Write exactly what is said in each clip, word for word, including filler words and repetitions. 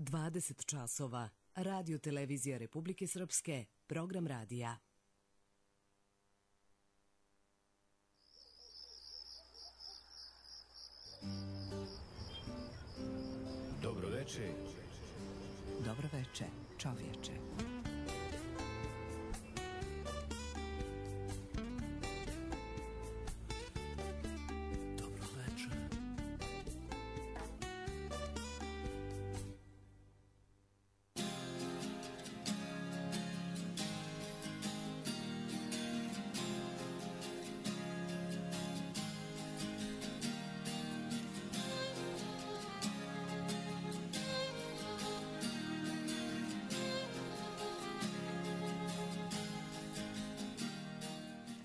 dvadeset časova. Radio Televizija Republike Srpske, program radija. Dobro veče. Dobro veče, čovječe.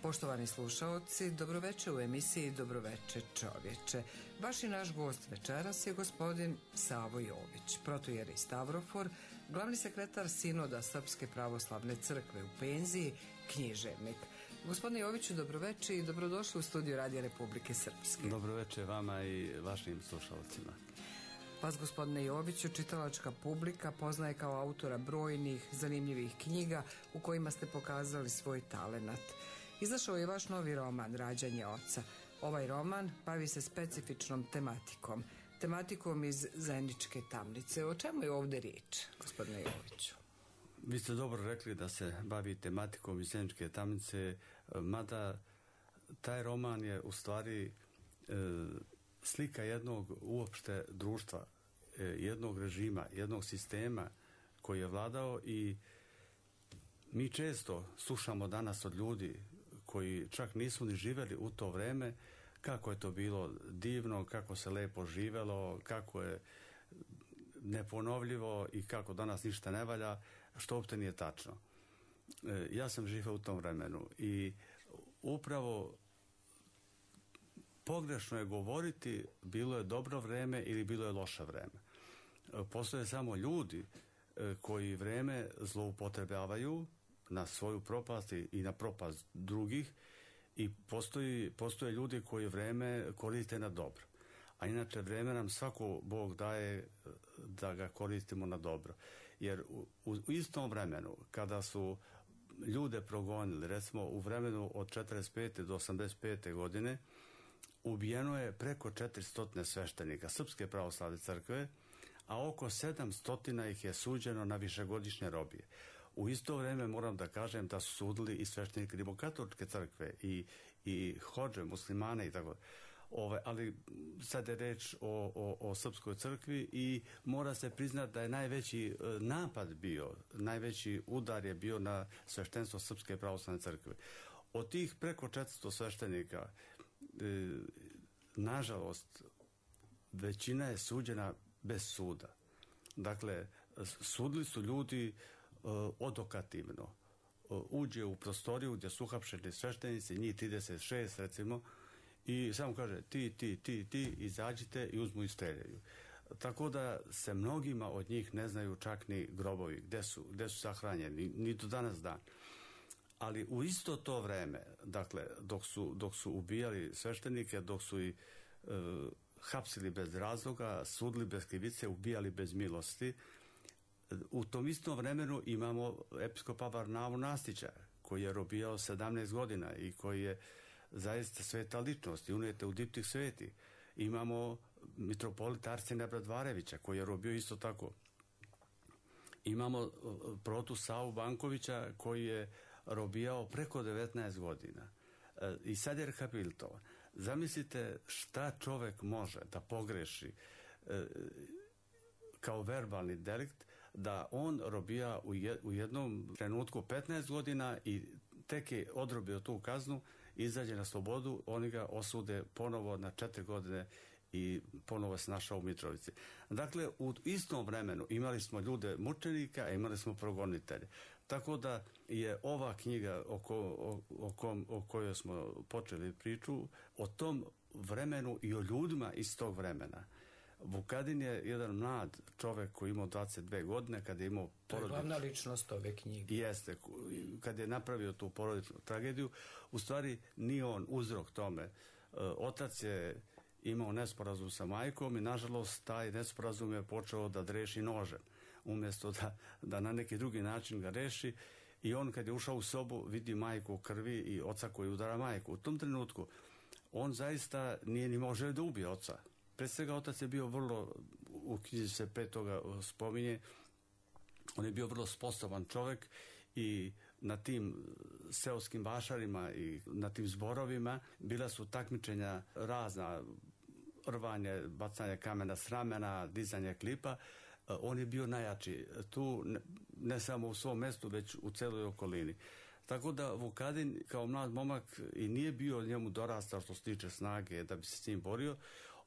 Poštovani slušaoci, dobroveče u emisiji Dobroveče čovječe. Vaš i naš gost večeras je gospodin Savo Jović, protojeri Stavrofor, glavni sekretar Sinoda Srpske pravoslavne crkve u penziji, književnik. Gospodine Joviću, dobroveče i dobrodošli u studiju Radija Republike Srpske. Dobroveče vama i vašim slušalcima. Vas, gospodine Joviću, čitalačka publika poznaje kao autora brojnih zanimljivih knjiga u kojima ste pokazali svoj talenat. Izašao je vaš novi roman Rađanje oca. Ovaj roman bavi se specifičnom tematikom, tematikom iz Zeničke tamnice. O čemu je ovdje riječ, gospodine Joviću? Vi ste dobro rekli da se bavi tematikom iz Zeničke tamnice, mada taj roman je u stvari e, slika jednog uopšte društva, e, jednog režima, jednog sistema koji je vladao i mi često slušamo danas od ljudi koji čak nisu ni živjeli u to vreme kako je to bilo divno, kako se lepo živjelo, kako je neponovljivo i kako danas ništa ne valja, što uopšte nije tačno. E, ja sam živio u tom vremenu i upravo pogrešno je govoriti bilo je dobro vreme ili bilo je loše vreme. E, postoje samo ljudi e, koji vreme zloupotrebljavaju na svoju propast i na propast drugih i postoji, postoje ljudi koji vreme koriste na dobro. A inače vreme nam svako Bog daje da ga koristimo na dobro. Jer u, u istom vremenu kada su ljude progonili, recimo u vremenu od četrdeset pete do osamdeset pete godine ubijeno je preko četiristo sveštenika Srpske pravoslavne crkve, a oko sedamsto ih je suđeno na višegodišnje robije. U isto vrijeme moram da kažem da su sudili i sveštenike rimokatoličke crkve i, i hodže, muslimane i tako. Ove, ali sad je reč o, o, o Srpskoj crkvi i mora se priznati da je najveći napad bio, najveći udar je bio na sveštenstvo Srpske pravoslavne crkve. Od tih preko četiristo sveštenika e, nažalost većina je suđena bez suda. Dakle, sudili su ljudi uh, odokativno. Uh, uđe u prostoriju gdje su uhapšeni sveštenici, njih trideset šest recimo, i samo kaže ti, ti, ti, ti, izađite i uzmu i streljaju. Tako da se mnogima od njih ne znaju čak ni grobovi, gdje su, gdje su sahranjeni, ni, ni do danas dan. Ali u isto to vreme, dakle, dok su, dok su ubijali sveštenike, dok su i uh, hapsili bez razloga, sudili bez krivice, ubijali bez milosti. U tom istom vremenu imamo episkopa Varnavu Nastića, koji je robijao sedamnaest godina i koji je zaista sveta ličnost i unijete u diptih sveti. Imamo mitropolita Arsena Bradvarevića, koji je robio isto tako. Imamo protu Savu Bankovića, koji je robijao preko devetnaest godina. I sad je rehabilitovan. Zamislite šta čovjek može da pogreši e, kao verbalni delikt, da on robija u, je, u jednom trenutku petnaest godina i tek je odrobio tu kaznu, izađe na slobodu, oni ga osude ponovo na četiri godine i ponovo se našao u Mitrovici. Dakle, u istom vremenu imali smo ljude mučenika, a imali smo progonitelje. Tako da je ova knjiga o, ko, o, o, kom, o kojoj smo počeli priču, o tom vremenu i o ljudima iz tog vremena. Vukadin je jedan mlad čovjek koji imao dvadeset dve godine, kada je imao porodičnu... To je glavna ličnost ove knjige. Jeste, kad je napravio tu porodičnu tragediju, u stvari nije on uzrok tome. Otac je imao nesporazum sa majkom i nažalost taj nesporazum je počeo da dreši nožem, umjesto da, da na neki drugi način ga reši. I on kad je ušao u sobu vidi majku u krvi i oca koji udara majku. U tom trenutku on zaista nije ni može da ubije oca. Pre svega otac je bio vrlo, u knjizi se pre toga spominje, on je bio vrlo sposoban čovjek i na tim seoskim vašarima i na tim zborovima bila su takmičenja razna, rvanje, bacanje kamena s ramena, dizanje klipa. On je bio najjači tu, ne samo u svom mestu, već u celoj okolini. Tako da Vukadin kao mlad momak i nije bio njemu dorastao što se tiče snage da bi se s njim borio.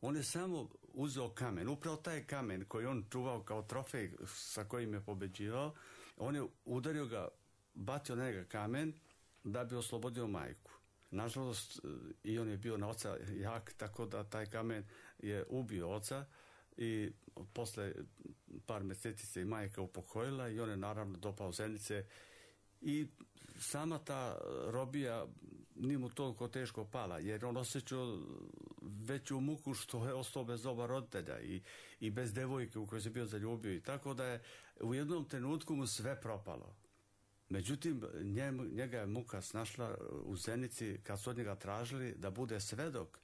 On je samo uzeo kamen, upravo taj kamen koji on čuvao kao trofej sa kojim je pobeđivao, on je udario ga, bacio na njega kamen da bi oslobodio majku. Nažalost, i on je bio na oca jak, tako da taj kamen je ubio oca i posle par meseci se i majka upokojila i on je naravno dopao Zenice i sama ta robija nije mu toliko teško pala, jer on osjećao veću muku što je ostao bez oba roditelja i, i bez devojke u kojoj se bio zaljubio i tako da je u jednom trenutku mu sve propalo. Međutim, njem, njega je muka snašla u Zenici kad su od njega tražili da bude svedok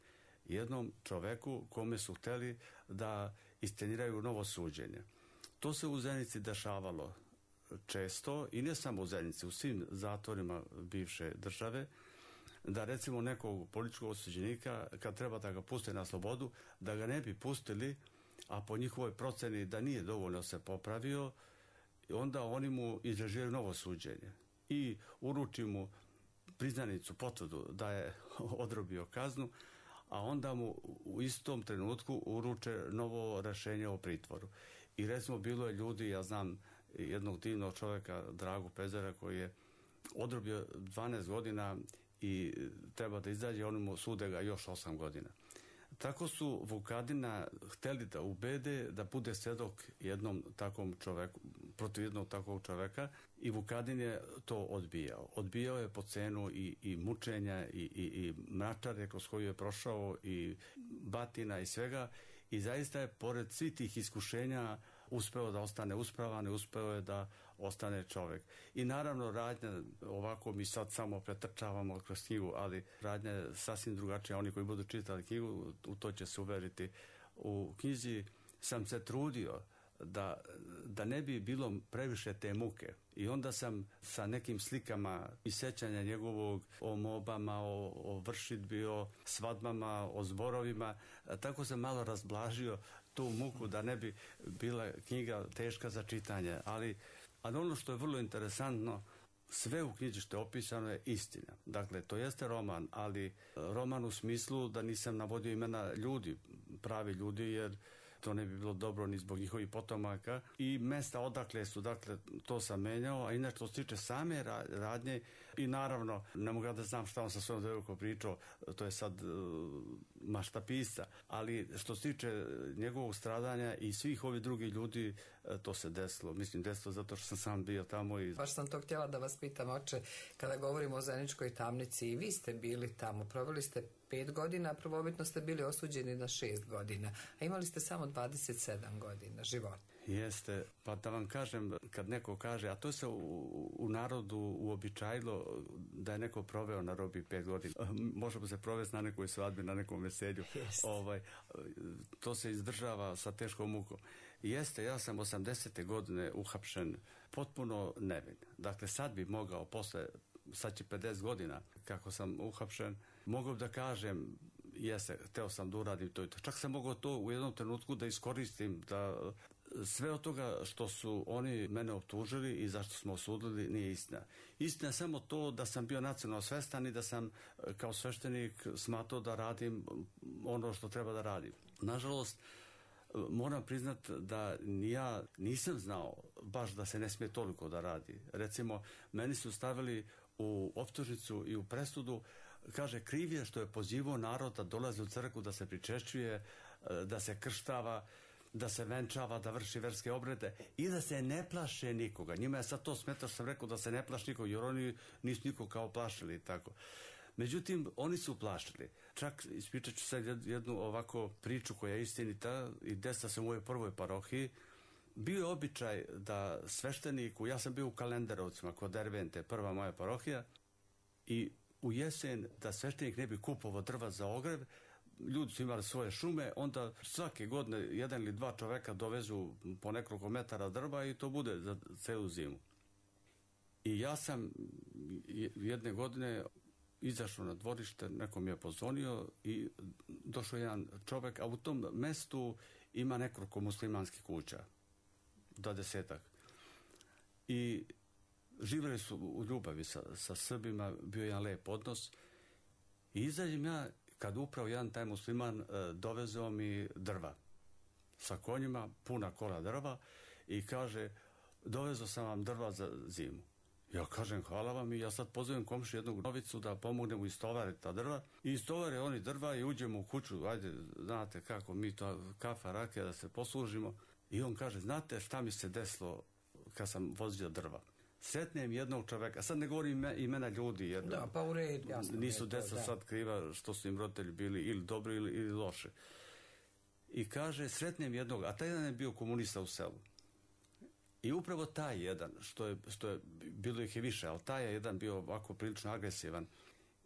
jednom čoveku kome su hteli da isceniraju novo suđenje. To se u Zenici dešavalo često i ne samo u Zenici, u svim zatvorima bivše države, da recimo nekog političkog osuđenika kad treba da ga puste na slobodu, da ga ne bi pustili, a po njihovoj proceni da nije dovoljno se popravio, onda oni mu izrežiraju novo suđenje i uruči mu priznanicu, potvrdu da je odrobio kaznu, a onda mu u istom trenutku uruče novo rešenje o pritvoru. I recimo bilo je ljudi, ja znam jednog divnog čovjeka, Dragu Pezera, koji je odrobio dvanaest godina i treba da izađe, oni mu sude ga još osam godina. Tako su Vukadina hteli da ubede da bude svedok jednom takvom čoveku, protiv jednog takvog čoveka i Vukadin je to odbijao. Odbijao je po cenu i, i mučenja i, i, i mračare kroz koju je prošao i batina i svega i zaista je pored svih tih iskušenja uspeo da ostane uspravan i uspeo je da ostane čovjek. I naravno radnja, ovako mi sad samo pretrčavamo kroz knjigu, ali radnja je sasvim drugačija. Oni koji budu čitali knjigu, u to će se uveriti. U knjizi sam se trudio da, da ne bi bilo previše te muke. I onda sam sa nekim slikama i sećanja njegovog o mobama, o, o vršidbi, o svadbama, o zborovima, tako sam malo razblažio tu muku da ne bi bila knjiga teška za čitanje. Ali, ali ono što je vrlo interesantno, sve u knjizi što je opisano je istina. Dakle, to jeste roman, ali roman u smislu da nisam navodio imena ljudi, pravi ljudi, jer to ne bi bilo dobro ni zbog njihovih potomaka i mesta odakle su, dakle, to sam menjao, a inače što se tiče same radnje i naravno, ne mogu da znam šta on sa svojom devojkom pričao, to je sad uh, mašta pisca, ali što se tiče njegovog stradanja i svih ovih drugih ljudi, uh, to se desilo. Mislim, desilo zato što sam sam bio tamo i... Baš sam to htjela da vas pitam, oče, kada govorimo o Zeničkoj tamnici, i vi ste bili tamo, proveli ste pet godina, prvobitno ste bili osuđeni na šest godina, a imali ste samo dvadeset sedam godina života. Jeste, pa da vam kažem, kad neko kaže, a to se u, u narodu uobičajilo da je neko proveo na robiji pet godina, možemo se provesti na nekoj svadbi, na nekom veselju, ovaj, to se izdržava sa teškom mukom. Jeste, ja sam osamdesete godine uhapšen potpuno nevin. Dakle, sad bi mogao, posle, sad će pedeset godina kako sam uhapšen, mogao da kažem, jeste, hteo sam da uradim to i to. Čak sam mogao to u jednom trenutku da iskoristim, da sve od toga što su oni mene optužili i zašto smo osudili nije istina. Istina je samo to da sam bio nacionalno svestan i da sam kao sveštenik smatrao da radim ono što treba da radim. Nažalost, moram priznat da ja nisam znao baš da se ne smije toliko da radi. Recimo, meni su stavili u optužnicu i u presudu, kaže, kriv je što je pozivao narod da dolazi u crkvu, da se pričešćuje, da se krštava, da se venčava, da vrši verske obrede i da se ne plaše nikoga. Njima je sad to smetao što sam rekao da se ne plaše nikoga, jer oni nisu nikog kao plašili i tako. Međutim, oni su plaštili. Čak ispričat ću sad jednu ovako priču koja je istinita i desila se u mojoj prvoj parohiji. Bio je običaj da svešteniku, ja sam bio u Kalenderovcima kod Dervente, prva moja parohija, i u jesen da sveštenik ne bi kupovao drva za ogrev, ljudi su imali svoje šume, onda svake godine jedan ili dva čoveka dovezu po nekoliko metara drva i to bude za celu zimu. I ja sam jedne godine izašao na dvorište, neko mi je pozvonio i došao jedan čovek, a u tom mestu ima nekoliko muslimanskih kuća, dvadesetak. I živjeli su u ljubavi sa, sa Srbima, bio jedan lep odnos. I izađem ja, kad upravo jedan taj musliman e, dovezao mi drva sa konjima, puna kola drva, i kaže, dovezao sam vam drva za zimu. Ja kažem, hvala vam, i ja sad pozovem komši jednog novicu da pomognemo istovariti ta drva. I istovare oni drva i uđemo u kuću, ajde, znate kako mi to, kafa, rakija, da se poslužimo. I on kaže, znate šta mi se desilo kad sam vozio drva? Sretnem jednog čoveka, sad ne govorim imena ljudi, jer da, pa u red, jasno, nisu to, deca da. sad kriva što su im roditelji bili ili dobri ili, ili loše. I kaže, sretnem jednog, a taj jedan je bio komunista u selu. I upravo taj jedan, što je, što je bilo ih je više, ali taj je jedan bio ovako prilično agresivan.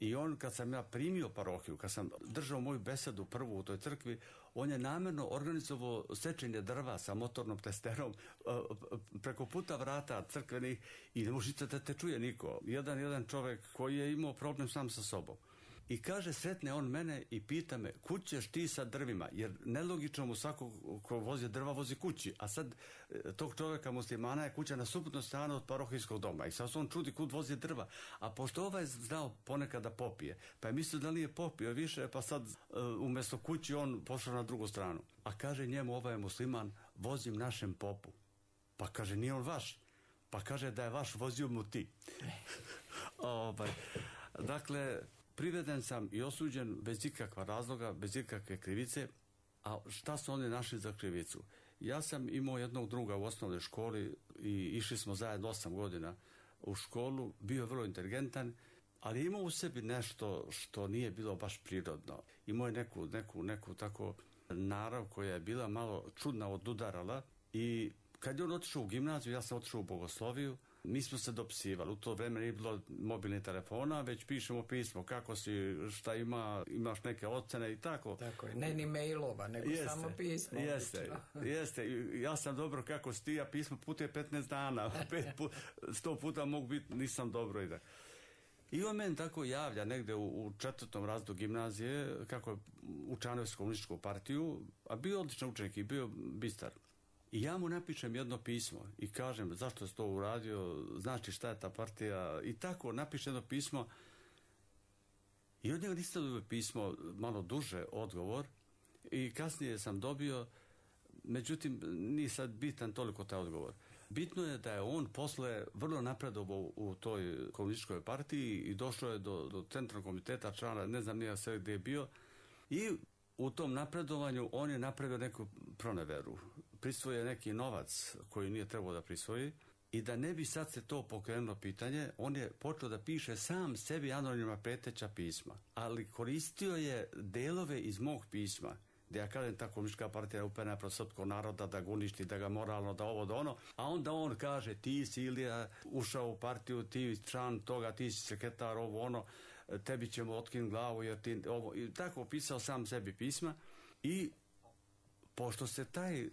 I on, kad sam ja primio parohiju, kad sam držao moju besedu prvu u toj crkvi, on je namjerno organizovao sečenje drva sa motornom testerom preko puta vrata crkvenih i ne možete da te čuje niko. Jedan, jedan čovek koji je imao problem sam sa sobom. I kaže, sretne on mene i pita me, kud ćeš ti sa drvima? Jer nelogično mu svako ko vozi drva vozi kući. A sad tog čovjeka muslimana je kuća na suprotnoj strani od parohijskog doma. I sad se on čudi kud vozi drva. A pošto ovaj je znao ponekad da popije, pa je mislio da nije popio više, pa sad umjesto kući on pošao na drugu stranu. A kaže njemu, ovaj je musliman, vozim našem popu. Pa kaže, nije on vaš. Pa kaže da je vaš, vozio mu ti. ovaj. Dakle, priveden sam i osuđen bez ikakva razloga, bez ikakve krivice. A šta su oni našli za krivicu? Ja sam imao jednog druga u osnovnoj školi i išli smo zajedno osam godina u školu, bio je vrlo inteligentan, ali imao u sebi nešto što nije bilo baš prirodno. Imao je neku, neku, neku tako narav koja je bila malo čudna, odudarala, i kad je on otišao u gimnaziju, ja sam otišao u bogosloviju. Mi smo se dopsivali, u to vreme nije bilo mobilnih telefona, već pišemo pismo, kako si, šta ima, imaš neke ocene i tako. Tako je, ne ni mailova, nego jeste, samo pismo. Jeste, jeste, ja sam dobro, kako si ti, a pismo putuje petnaest dana, pet put, sto puta mogu biti, nisam dobro i da. I on meni tako javlja negde u, u četvrtom razredu gimnazije, kako je učlanio se komunističku partiju, a bio odličan učenik i bio bistar. I ja mu napišem jedno pismo i kažem zašto si to uradio, znači šta je ta partija, i tako napišem jedno pismo. I od njega nisam dobio pismo, malo duže odgovor, i kasnije sam dobio, međutim nije sad bitan toliko taj odgovor. Bitno je da je on posle vrlo napredovao u toj komunističkoj partiji i došao je do, do centralnog komiteta člana, ne znam nije sve gdje je bio, i u tom napredovanju on je napravio neku proneveru. Prisvojio neki novac koji nije trebao da prisvoji, i da ne bi sad se to pokrenulo pitanje, on je počeo da piše sam sebi anonimna preteća pisma, ali koristio je delove iz mog pisma, gdje ja kažem ta komunistička partija je uperena protiv srpskog naroda, da ga uništi, da ga moralno, da ovo, da ono, a onda on kaže, ti si Ilija ušao u partiju, ti član toga, ti si sekretar, ovo, ono, tebi ćemo otkinuti glavu, jer ti ovo, i tako pisao sam sebi pisma. I pošto se taj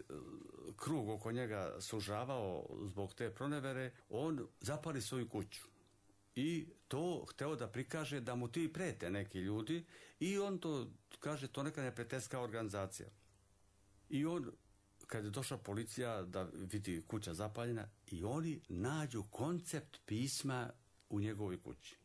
krug oko njega sužavao zbog te pronevere, on zapali svoju kuću. I to hteo da prikaže da mu ti prete neki ljudi, i on to kaže, to neka neprijateljska organizacija. I on, kad je došla policija da vidi kuća zapaljena, i oni nađu koncept pisma u njegovoj kući.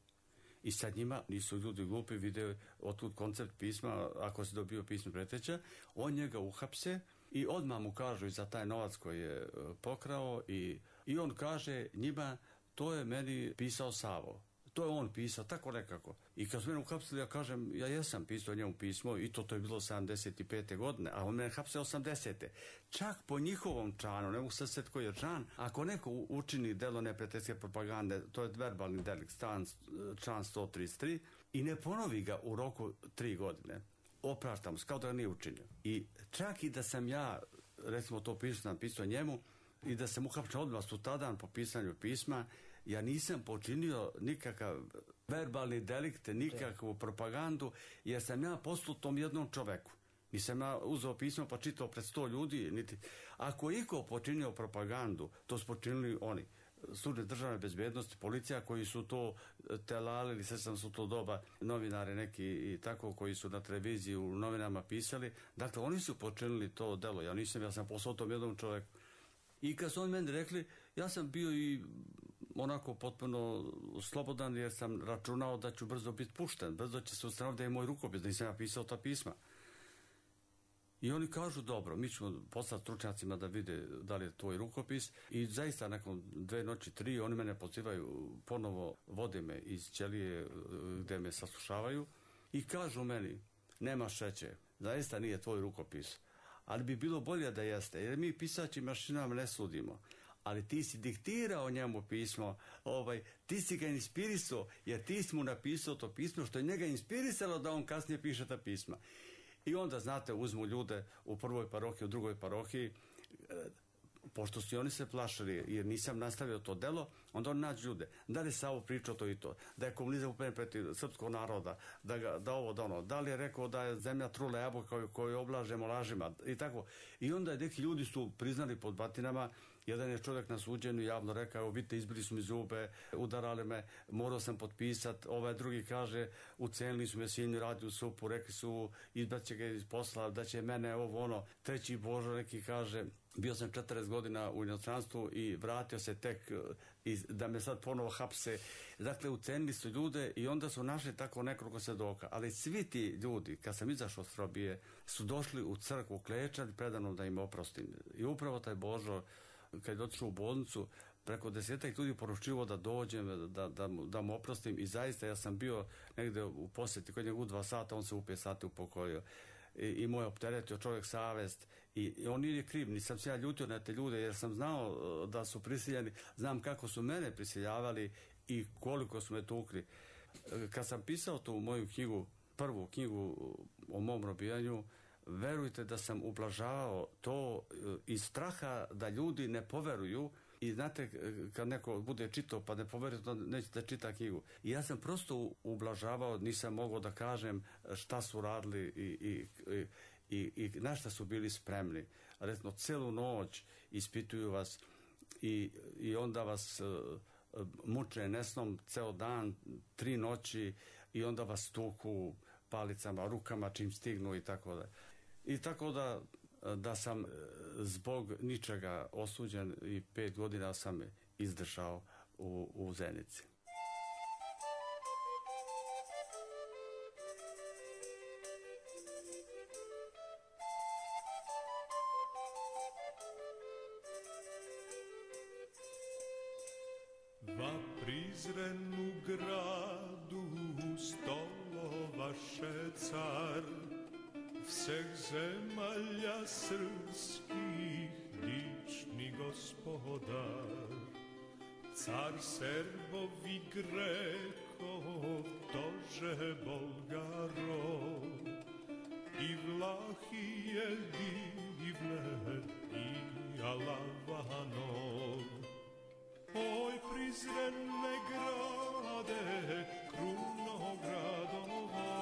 I sad njima, nisu ljudi glupi, vide otud koncept pisma, ako se dobio pismo preteća, on njega uhapse i odmah mu kažu i za taj novac koji je pokrao, i, i on kaže njima, to je meni pisao Savo. To je on pisao, tako nekako. I kad su mene uhapsili, ja kažem, ja jesam pisao njemu pismo, i to to je bilo sedamdeset pete godine, a on mene hapse osamdesete. Čak po njihovom članu, ne mogu se sjetiti koji je član, ako neko učini delo neprijateljske propagande, to je verbalni delikt, član sto trideset tri, i ne ponovi ga u roku tri godine, opraštam, kao da ga nije učinio. I čak i da sam ja, recimo to pismo napisao njemu, i da sam uhapšen odmah sutradan po pisanju pisma, ja nisam počinio nikakav verbalni delikt, nikakvu propagandu, jer sam ja poslao tom jednom čoveku. Nisam ja uzeo pismo pa čitao pred sto ljudi. Niti. Ako je iko počinio propagandu, to su počinili oni. Službe državne bezbednosti, policija koji su to telalili, sve sam su to doba, novinari neki i tako koji su na televiziji u novinama pisali. Dakle, oni su počinili to delo. Ja nisam, ja sam poslao tom jednom čoveku. I kad su oni meni rekli, ja sam bio i onako potpuno slobodan jer sam računao da ću brzo biti pušten, brzo će se ustanoviti da je moj rukopis, da nisam ja pisao ta pisma. I oni kažu, dobro, mi ćemo poslati stručnjacima da vide da li je tvoj rukopis i zaista nakon dve noći, tri, oni mene pozivaju, ponovo vode me iz ćelije gde me saslušavaju i kažu meni, nema šeće, zaista nije tvoj rukopis, ali bi bilo bolje da jeste, jer mi pisaći mašinama ne sudimo. Ali ti si diktirao njemu pismo, ovaj, ti si ga inspirisao, jer ti si mu napisao to pismo što je njega inspirisalo da on kasnije piše ta pisma. I onda, znate, uzmu ljude u prvoj parohiji, u drugoj parohiji, pošto su oni se plašili, jer nisam nastavio to delo, onda on nađu ljude. Da li je Savo pričao to i to? Da je komunizam upen protiv srpskog naroda, da, ga, da ovo, da ono. Da li je rekao da je zemlja trula jabuka koju oblažemo lažima i tako. I onda je neki ljudi su priznali pod batinama. Jedan je čovjek na suđenju javno rekao, vidite, izbili su mi zube, udarali me, morao sam potpisat. Ovaj drugi kaže, ucenili su me, sin radi u supu, rekli su, izbaće ga iz posla, da će mene ovo ono. Treći Božo neki kaže, bio sam četrdeset godina u inostranstvu i vratio se tek iz, da me sad ponovo hapse. Dakle, ucenili su ljude i onda su našli tako nekoliko svedoka. Ali svi ti ljudi, kad sam izašao od Srbije, su došli u crkvu klečali predano da im oprostim. I upravo taj Božo, kad je otišao u bolnicu, preko desetak ljudi poručivo da dođem, da, da, da mu oprostim i zaista ja sam bio negde u posjeti kod njega u dva sata, on se u pet sati upokojio. I, i moj opteretio čovjek savest i, i on nije kriv, nisam se ja ljutio na te ljude jer sam znao da su prisiljeni, znam kako su mene prisiljavali i koliko su me tukli. Kad sam pisao tu moju knjigu, prvu knjigu o mom robijanju, verujte da sam ublažavao to iz straha da ljudi ne poveruju i znate kad neko bude čitao pa ne poveruje to neće da čita knjigu. I ja sam prosto ublažavao, nisam mogao da kažem šta su radili i, i, i, i na šta su bili spremni. Recimo celu noć ispituju vas i, i onda vas uh, muče nesnom ceo dan, tri noći i onda vas tuku palicama, rukama čim stignu i tako da. I tako da, da sam zbog ničega osuđen i pet godina sam izdržao u, u Zenici. Va prizrenu gradu stolovaše car, vseh zemalja srpskih lični gospodar. Car Srbovi Grekov, tože Bolgarov, i Vlahije divne i Alavanov. Oj, prizrene grade, kruno gradova,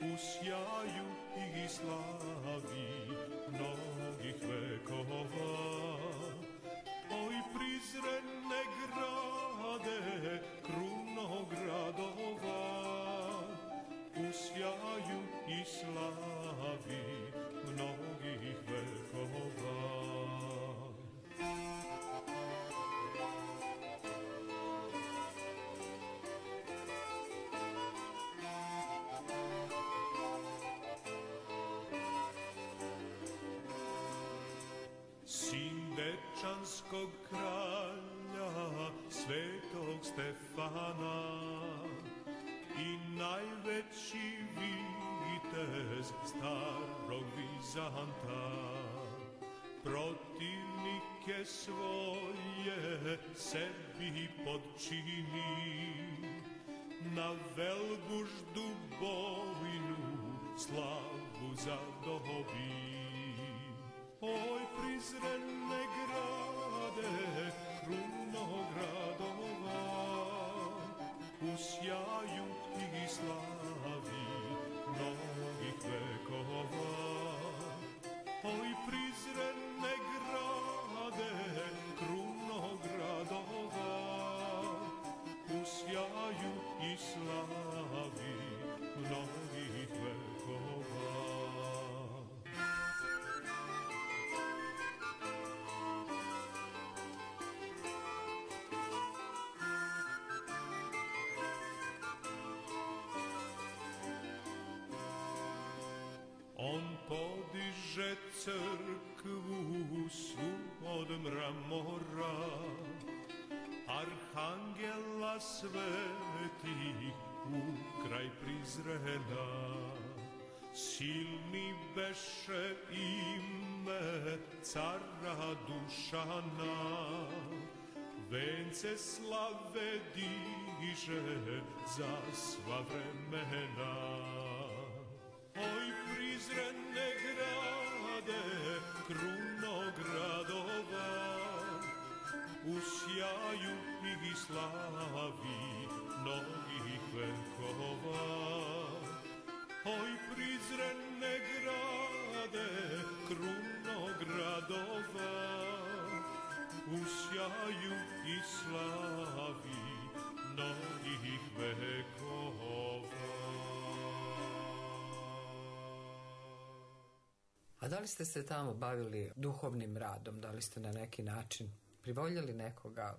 u sjaju i slavi mnogih vekova. Oj, prizrene grade, kruno gradova, u sjaju i slavi mnogih vekova. Sin dečanskog kralja, svetog Stefana, i najveći vitez starog Vizanta, protivnike svoje sebi podčini, na Velbuždu bojnu slavu zadobi. Oj, prizrene grade, kruno gradova, u sjaju i slavi mnogih vekova. Oj, prizrene grade, kruno gradova, u sjaju i slavi mnogih vekova. On podiže crkvu svu od mramora, arhangela svetih u kraj Prizrena. Silni beše ime cara Dušana, vence slave diže za sva vremena. Oj, prizrene grade, kruno gradova, u sjaju i slavi mnogih vekova. Oj, prizrene grade, kruno gradova, u sjaju i slavi mnogih vekova. A da li ste se tamo bavili duhovnim radom? Da li ste na neki način privoljeli nekoga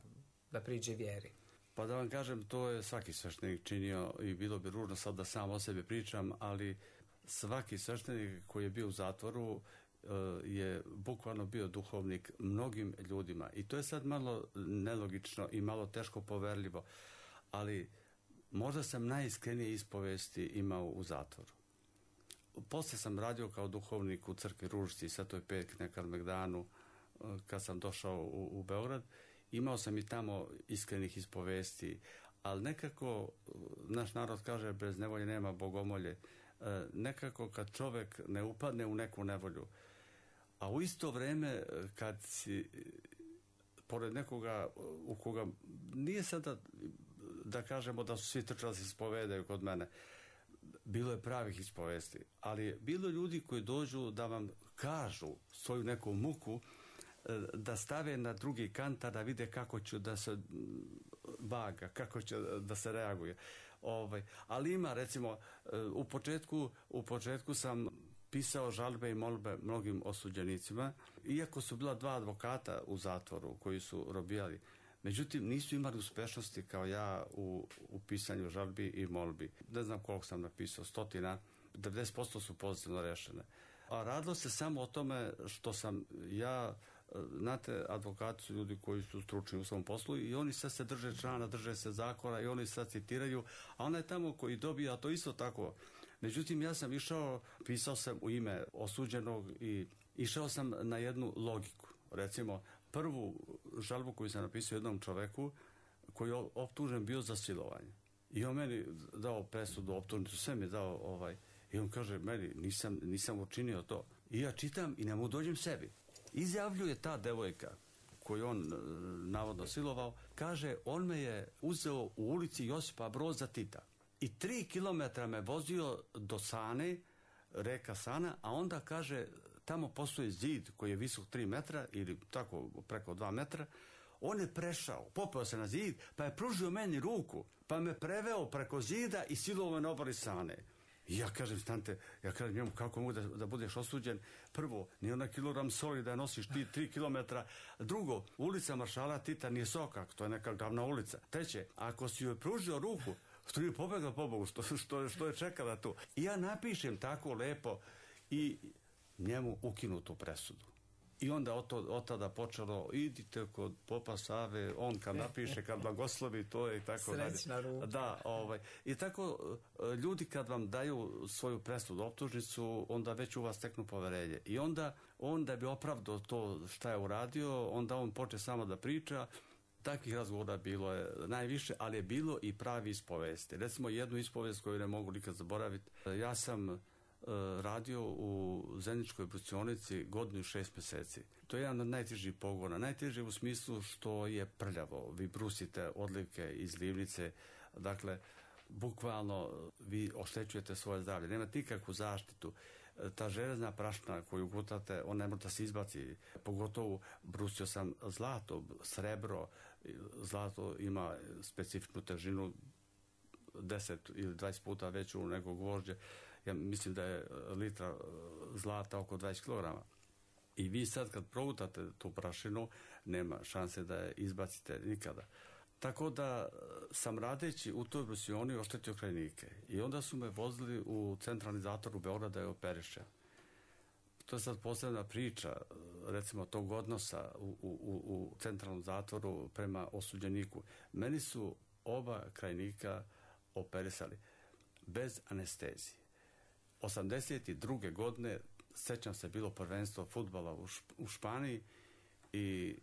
da priđe vjeri? Pa da vam kažem, to je svaki sveštenik činio i bilo bi ružno sad da sam o sebi pričam, ali svaki sveštenik koji je bio u zatvoru je bukvalno bio duhovnik mnogim ljudima. I to je sad malo nelogično i malo teško poverljivo, ali možda sam najiskrenije ispovesti imao u zatvoru. Posle sam radio kao duhovnik u crkvi Ružici, Svetoj Petki na Kalemegdanu, kad sam došao u, u Beograd. Imao sam i tamo iskrenih ispovesti, ali nekako, naš narod kaže, bez nevolje nema bogomolje. Nekako kad čovek ne upadne u neku nevolju, a u isto vreme kad si pored nekoga u koga nije sada da kažemo da su svi trčali se ispovedaju kod mene, bilo je pravih ispovesti, ali bilo ljudi koji dođu da vam kažu svoju neku muku, da stave na drugi kantar, da vide kako će da se vaga, kako će da se reaguje. Ovaj, ali ima, recimo, u početku, u početku sam pisao žalbe i molbe mnogim osuđenicima, iako su bila dva advokata u zatvoru koji su robijali. Međutim, nisu imali uspešnosti kao ja u, u pisanju žalbi i molbi. Ne znam koliko sam napisao, stotina, devedeset posto su pozitivno rešene. A radilo se samo o tome što sam ja, znate, advokati su ljudi koji su stručni u svom poslu i oni sad se drže člana, drže se zakona i oni sad citiraju, a onaj tamo koji dobija to isto tako. Međutim, ja sam išao, pisao sam u ime osuđenog i išao sam na jednu logiku. Recimo, prvu žalbu koju sam napisao jednom čoveku koji je optužen bio za silovanje. I on meni dao presudu, optužnicu, sve mi dao ovaj. I on kaže, meni nisam, nisam učinio to. I ja čitam i ne mu dođem sebi. Izjavljuje ta devojka koju on navodno silovao, kaže, on me je uzeo u ulici Josipa Broza Tita i tri kilometra me vozio do Sane, reka Sana, a onda kaže, tamo postoji zid koji je visok tri metra ili tako preko dva metra. On je prešao, popeo se na zid, pa je pružio meni ruku, pa me preveo preko zida i silovao na obali Sane. I ja kažem, stante, ja kažem njemu, kako mogu da, da budeš osuđen? Prvo, nije ona kilogram soli da nosiš ti tri kilometra. Drugo, ulica Maršala Tita nije Sokak, to je neka glavna ulica. Treće, ako si joj pružio ruku, što je pobegla po Bogu, što, što, što je čekala tu. I ja napišem tako lepo i njemu ukinu tu presudu. I onda od, to, od tada počelo, idite kod popa Save, on kad napiše, kad blagoslovi, to je i tako dalje. Srećna ruka. Da, ovaj. I tako ljudi kad vam daju svoju presudu, optužnicu, onda već u vas steknu poverenje. I onda on da bi opravdao to šta je uradio, onda on počne samo da priča, takvih razgovora bilo je najviše, ali je bilo i pravi ispovesti. Recimo jednu ispovest koju ne mogu nikad zaboraviti. Ja sam uh, radio u Zeničkoj brucionici godinu i šest mjeseci. To je jedan od najtežih pogona. Najteži u smislu što je prljavo. Vi brusite odlivke iz livnice, dakle, bukvalno vi oštećujete svoje zdravlje. Nemate nikakvu zaštitu. Ta železna prašna koju gutate, on ne može da se izbaci. Pogotovo brusio sam zlato, srebro. Zlato ima specifičnu težinu deset ili dvadeset puta veću nego gvožđe. Ja mislim da je litra zlata oko dvadeset kilograma. I vi sad kad progutate tu prašinu, nema šanse da je izbacite nikada. Tako da sam radeći u toj brusioni oštetio krajnike. I onda su me vozili u centralni zatvor u Beogradu da je operišem. To je sad posebna priča, recimo, tog odnosa u, u, u centralnom zatvoru prema osuđeniku. Meni su oba krajnika operisali bez anestezije. osamdeset druge godine, sećam se, bilo prvenstvo fudbala u, Šp- u Španiji i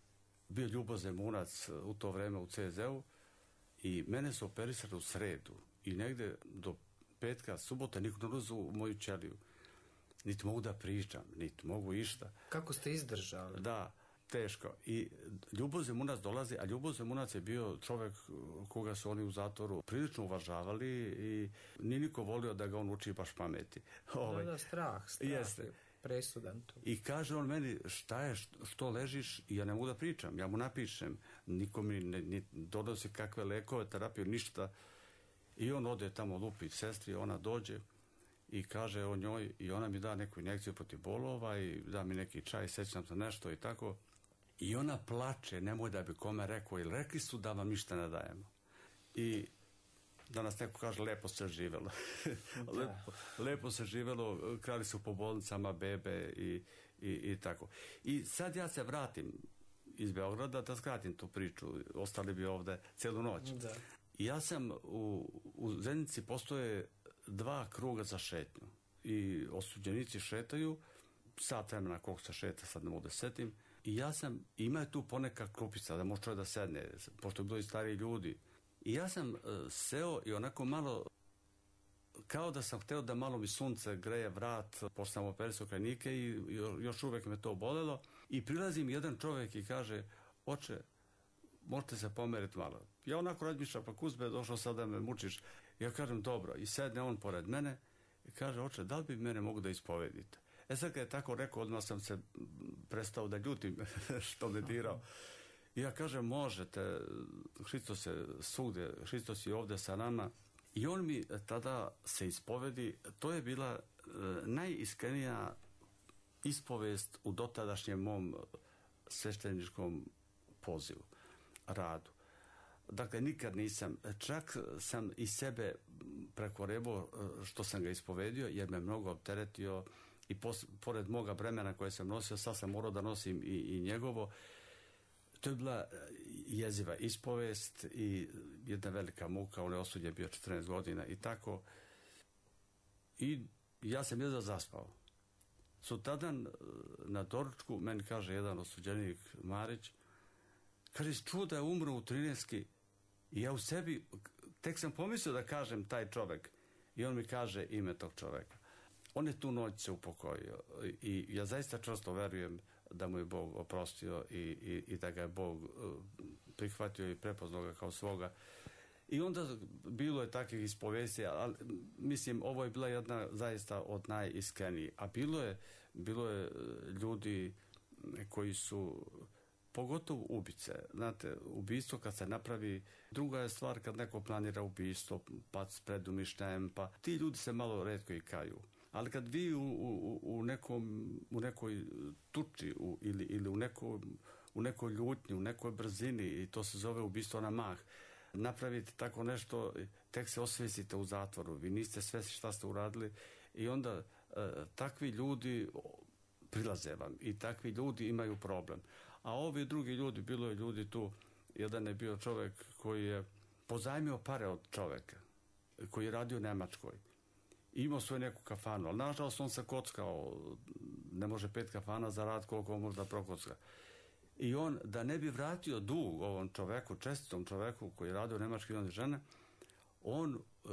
bio Ljubo Zemunac u to vreme u C Z U i mene su operisali u sredu i negde do petka, subota niko ne ulazi u moju ćeliju. Niti mogu da pričam, niti mogu išta. Kako ste izdržali? Da, teško. I Ljubo Zemunac dolazi, a Ljubo Zemunac je bio čovjek koga su oni u zatvoru prilično uvažavali i nije niko volio da ga on uči baš pameti. Ovaj, da, da, strah, strah jeste. Je presudan tu. I kaže on meni, šta je, što ležiš, i ja ne mogu da pričam, ja mu napišem, niko mi ne, ne donosi kakve lekove, terapiju, ništa. I on ode tamo lupi sestri, ona dođe i kaže o njoj i ona mi da neku injekciju protiv bolova i da mi neki čaj, sećam se nešto i tako. I ona plače, nemoj da bi kome rekao, ili rekli su da vam ništa ne dajemo. I danas neko kaže, lepo se živelo. lepo, lepo se živelo, krali su po bolnicama bebe i, i, i tako. I sad ja se vratim iz Beograda da skratim tu priču, ostali bi ovde celu noć. Da. I ja sam u, u Zenici postoje dva kruga za šetnju i osuđenici šetaju sat vremena koliko se šeta, sad ne mogu da setim, i ja sam, ima je tu poneka klupica da može čovjek da sedne, pošto je bilo i stariji ljudi, i ja sam uh, seo i onako malo kao da sam hteo da malo mi sunce greje vrat, pošto sam operisao krajnike i još uvek me to bolelo, i prilazi mi jedan čovjek i kaže, oče, možete se pomeriti malo. Ja onako razmišljam, pa Kuzbe, došao sad da me mučiš. Ja kažem, dobro, i sedne on pored mene i kaže, oče, da li bi mene mogu da ispovedite? E sad kad je tako rekao, odmah sam se prestao da ljutim što me dirao. I ja kažem, možete, Hristos je svugde, Hristos je ovde sa nama. I on mi tada se ispovedi, to je bila e, najiskrenija ispovest u dotadašnjem mom svešteničkom pozivu, radu. Dakle, nikad nisam, čak sam i sebe prekorebao što sam ga ispovedio, jer me mnogo opteretio i pos, pored moga bremena koje sam nosio, sad sam morao da nosim i, i njegovo. To je bila jeziva ispovest i jedna velika muka, on je osuđen bio četrnaest godina i tako. I ja sam jedva zaspao. Sutradan na doručku meni kaže jedan osuđenik, Marić, kaže, čuo da je umro u trinaestki i ja u sebi, tek sam pomislio da kažem taj čovek i on mi kaže ime tog čoveka. On je tu noć se upokojio i ja zaista čvrsto verujem da mu je Bog oprostio i, i, i da ga je Bog prihvatio i prepoznao ga kao svoga. I onda bilo je takvih ispovesti, ali mislim, ovo je bila jedna zaista od najiskrenijih. A bilo je, bilo je ljudi koji su, pogotovo ubice, znate, ubistvo kad se napravi, druga je stvar kad neko planira ubistvo, pa s predumišljajem, pa ti ljudi se malo retko i kaju. Ali kad vi u, u, u, nekom, u nekoj tuči u, ili, ili u, neko, u nekoj ljutnji, u nekoj brzini, i to se zove ubistvo na mah, napravite tako nešto, tek se osvestite u zatvoru, vi niste svesni šta ste uradili i onda e, takvi ljudi prilaze vam i takvi ljudi imaju problem. A ovi drugi ljudi, bilo je ljudi tu, jedan je bio čovjek koji je pozajmio pare od čovjeka, koji je radio u Nemačkoj. Imao svoju neku kafanu, ali nažalost on se kockao, ne može pet kafana za rad koliko on može da prokocka. I on, da ne bi vratio dug ovom čoveku, čestitom čoveku koji je radio u Nemačkoj i žene, on e,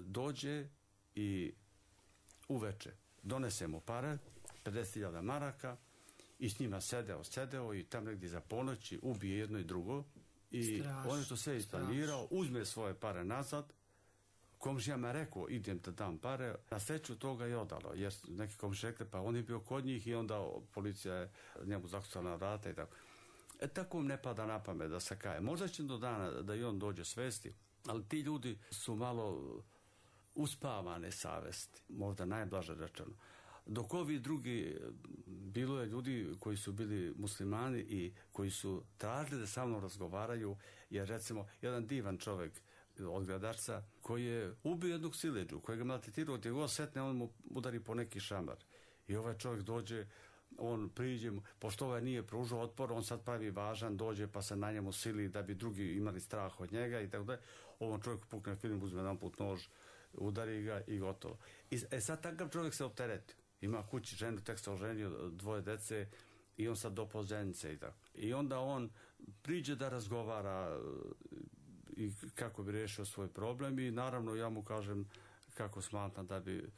dođe i uveče donese mu pare, pedeset hiljada maraka, i s njima sedeo, sedeo i tam negdje za ponoći ubije jedno i drugo. I straš, on je to sve isplanirao, uzme svoje pare nazad, komšijama je rekao, idem da dam pare, na sreću toga je odalo, jer neki komšije rekli, pa on je bio kod njih i onda policija je njemu zakucala na vrata i tako. E tako ne pada na pamet da se kaje. Možda će do dana da i on dođe svesti, ali ti ljudi su malo uspavane savesti, možda najblaže rečeno. Dok ovi drugi, bilo je ljudi koji su bili muslimani i koji su tražili da sa mnom razgovaraju, jer recimo jedan divan čovjek od Gradačca koji je ubio jednog sileđu, koji ga maltretirao, gdje god setne, on mu udari po neki šamar. I ovaj čovjek dođe, on priđe mu, pošto ovaj nije pružao otpor, on sad pravi važan, dođe pa se na njemu sili da bi drugi imali strah od njega i tako da. Ovom čovjeku pukne film, uzme jedan put nož, udari ga i gotovo. I, e sad takav čovjek se opteretio. Ima kući ženu, tek se oženio, dvoje dece i on sad do pozenice i tako. I onda on priđe da razgovara i kako bi riješio svoj problem i naravno ja mu kažem kako smatram da bi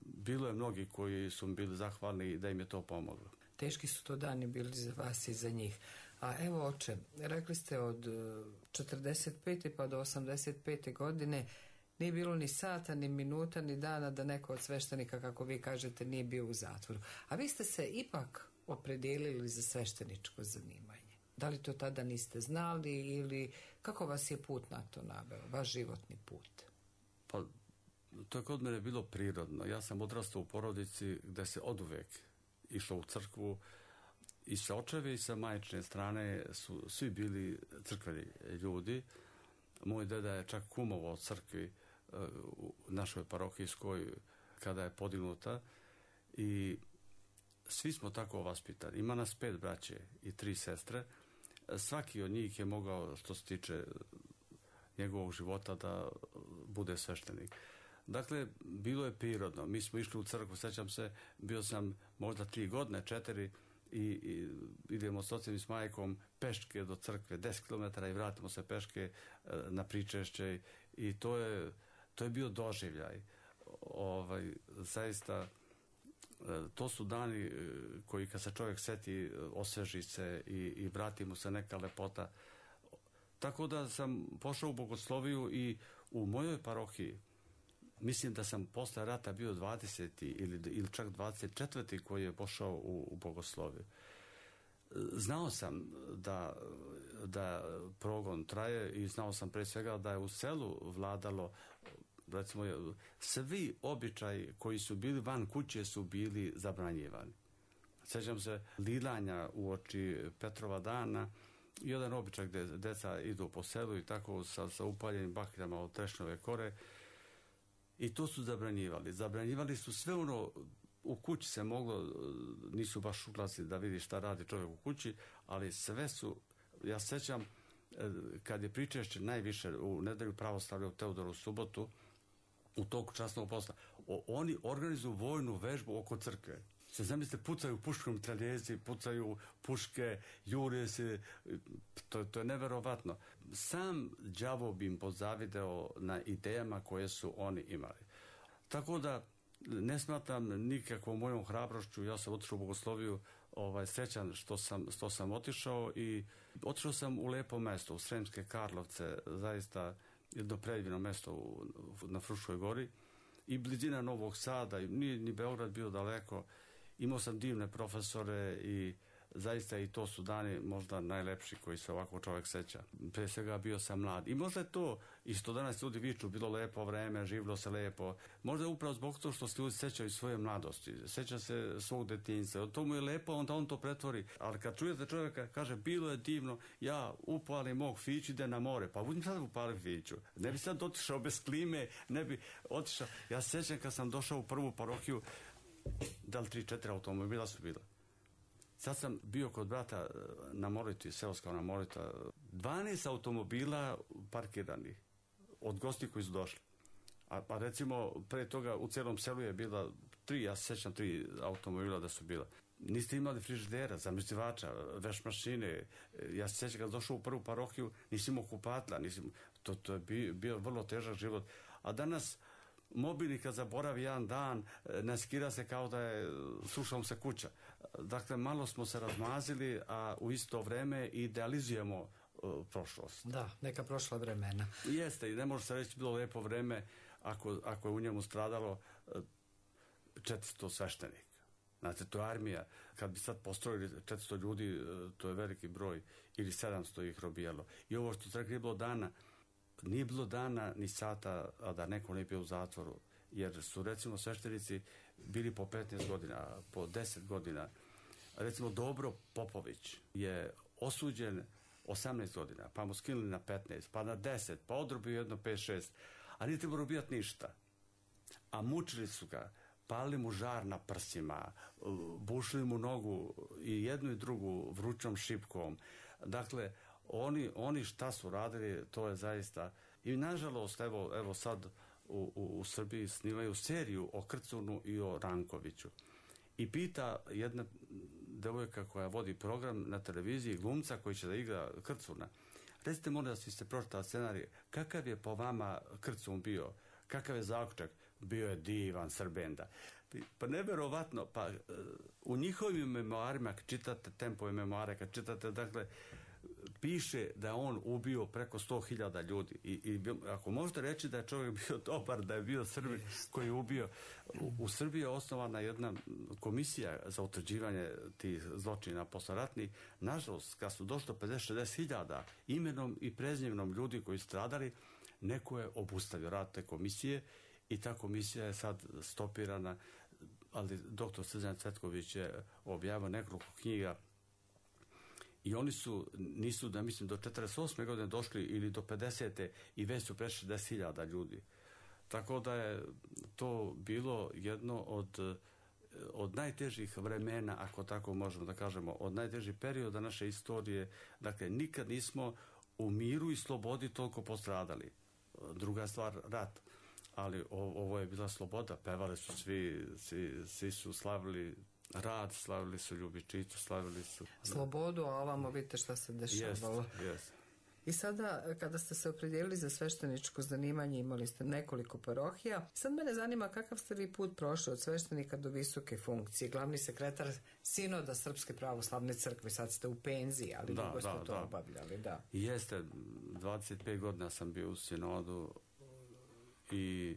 bilo je mnogi koji su bili zahvalni da im je to pomoglo. Teški su to dani bili za vas i za njih. A evo oče, rekli ste od četrdeset pete pa do osamdeset pete godine nije bilo ni sata, ni minuta, ni dana da neko od sveštenika, kako vi kažete, nije bio u zatvoru. A vi ste se ipak opredijelili za svešteničko zanimanje. Da li to tada niste znali ili kako vas je put na to naveo, vaš životni put? Pa, to je kod mene bilo prirodno. Ja sam odrastao u porodici gde se oduvek išlo u crkvu i sa očeve i sa majčine strane su svi bili crkveni ljudi. Moj deda je čak kumovao od crkvi u našoj parohijskoj kada je podignuta i svi smo tako vaspitani. Ima nas pet braće i tri sestre. Svaki od njih je mogao, što se tiče njegovog života, da bude sveštenik. Dakle, bilo je prirodno. Mi smo išli u crkvu, sećam se, bio sam možda tri godine, četiri, i, i idemo s ocem i s majkom peške do crkve, deset kilometara i vratimo se peške na pričešće i to je, to je bio doživljaj. Ovaj, zaista, to su dani koji kad se čovjek seti, osveži se i, i vrati mu se neka lepota. Tako da sam pošao u bogosloviju i u mojoj parohiji, mislim da sam posle rata bio dvadeseti ili, ili čak dvadeset četvrti koji je pošao u, u bogosloviju. Znao sam da, da progon traje i znao sam pre svega da je u selu vladalo, recimo, svi običaji koji su bili van kuće su bili zabranjivani. Sjećam se lilanja u oči Petrova dana, jedan običaj gde deca idu po selu i tako sa, sa upaljenim bakljama od trešnjove kore. I to su zabranjivali. Zabranjivali su sve ono, u kući se moglo, nisu baš uglasi da vidi šta radi čovjek u kući, ali sve su, ja sećam, kad je pričešće najviše u nedelju pravoslavlja u Teodoru subotu, u toku časnog posla, o, oni organizuju vojnu vežbu oko crkve. Se zamislite, pucaju puškom traljezi, pucaju puške, jure se, to, to je neverovatno. Sam đavo bi im pozavideo na idejama koje su oni imali. Tako da ne smatram nikakvom mojom hrabrošću, ja sam otišao u bogosloviju, ovaj, srećan što sam, što sam otišao i otišao sam u lepo mesto, u Sremske Karlovce, zaista jedno predivno mesto u, na Fruškoj gori i blizina Novog Sada, i nije ni Beograd bio daleko. Imao sam divne profesore i zaista i to su dani možda najlepši koji se ovako čovjek seća. Pre svega bio sam mlad. I možda je to, i što danas ljudi viču, bilo lepo vreme, živilo se lepo. Možda je upravo zbog toga što se ljudi sećaju svoje mladosti. Seća se svog detinjstva. To mu je lepo, onda on to pretvori. Ali kad čujete čovjeka, kaže, bilo je divno, ja upalim mog fiću, ide na more. Pa budem sad upalim fiću. Ne bi sad otišao bez klime, ne bi otišao. Ja se sećam kad sam došao u prvu parohiju, da li tri, četiri automobila su bila. Sad sam bio kod brata na Moriti, seoska na Morita, dvanaest automobila parkiranih od gosti koji su došli. A pa recimo, pre toga u celom selu je bila tri, ja se sećam tri automobila da su bila. niste imali frižidera, zamrzivača, veš mašine. Ja se sjećam kad došao u prvu parohiju, nisi imao kupatla, nisi, to, to je bio, bio vrlo težak život. A danas mobilni kad zaboravi jedan dan, ne skira se kao da je sušom se kuća. Dakle, malo smo se razmazili, a u isto vreme idealizujemo uh, prošlost. Da, neka prošla vremena. Jeste, i ne može se reći bilo lepo vreme ako, ako je u njemu stradalo uh, četiristo sveštenika. Znate, to je armija. Kad bi sad postrojili četiristo ljudi, uh, to je veliki broj, ili sedamsto ih robijalo. I ovo što ste rekli, bilo dana, nije bilo dana ni sata, a da neko ne bio u zatvoru, jer su recimo sveštenici bili po petnaest godina, po deset godina. Recimo Dobro Popović je osuđen osamnaest godina, pa mu skinuli na petnaest, pa na deset, pa odrobio jedno pet šest, a nije trebao robijati ništa. A mučili su ga, palili mu žar na prsima, bušili mu nogu i jednu i drugu vrućom šipkom. Dakle, Oni, oni šta su radili, to je zaista... I nažalost, evo, evo sad u, u, u Srbiji snimaju seriju o Krcunu i o Rankoviću. I pita jedna devojka koja vodi program na televiziji, glumca koji će da igra Krcuna. Recite, molim da ste pročitali scenarij, kakav je po vama Krcun bio? Kakav je zaključak? Bio je divan Srbenda. Pa neverovatno, pa u njihovim memoarima, kad čitate Tempove memoare, kad čitate, dakle, piše da je on ubio preko sto hiljada ljudi. I, i ako možete reći da je čovjek bio dobar, da je bio Srbin koji je ubio, u, u Srbiji je osnovana jedna komisija za utvrđivanje tih zločina posleratnih. Nažalost, kad su došlo pedeset do šezdeset hiljada imenom i prezimenom ljudi koji su stradali, neko je obustavio rad te komisije i ta komisija je sad stopirana, ali doktor Srđan Cvetković je objavio nekoliko knjiga. I oni su, nisu, da mislim, do četrdeset osme godine došli ili do pedesete i već su prešli šezdeset hiljada ljudi. Tako da je to bilo jedno od, od najtežih vremena, ako tako možemo da kažemo, od najtežih perioda naše istorije. Dakle, nikad nismo u miru i slobodi toliko postradali. Druga stvar, rat. Ali ovo je bila sloboda. Pevali su svi, svi, svi su slavili rad, slavili su ljubičicu, slavili su... Slobodu, a ovamo vidite šta se dešavalo. Yes, yes. I sada, kada ste se opredijelili za svešteničko zanimanje, imali ste nekoliko parohija. Sad mene zanima kakav ste vi put prošli od sveštenika do visoke funkcije. Glavni sekretar Sinoda Srpske pravoslavne crkve, sad ste u penziji, ali da, dugo ste da, to da. obavljali. Da. Jeste, dvadeset pet godina sam bio u Sinodu i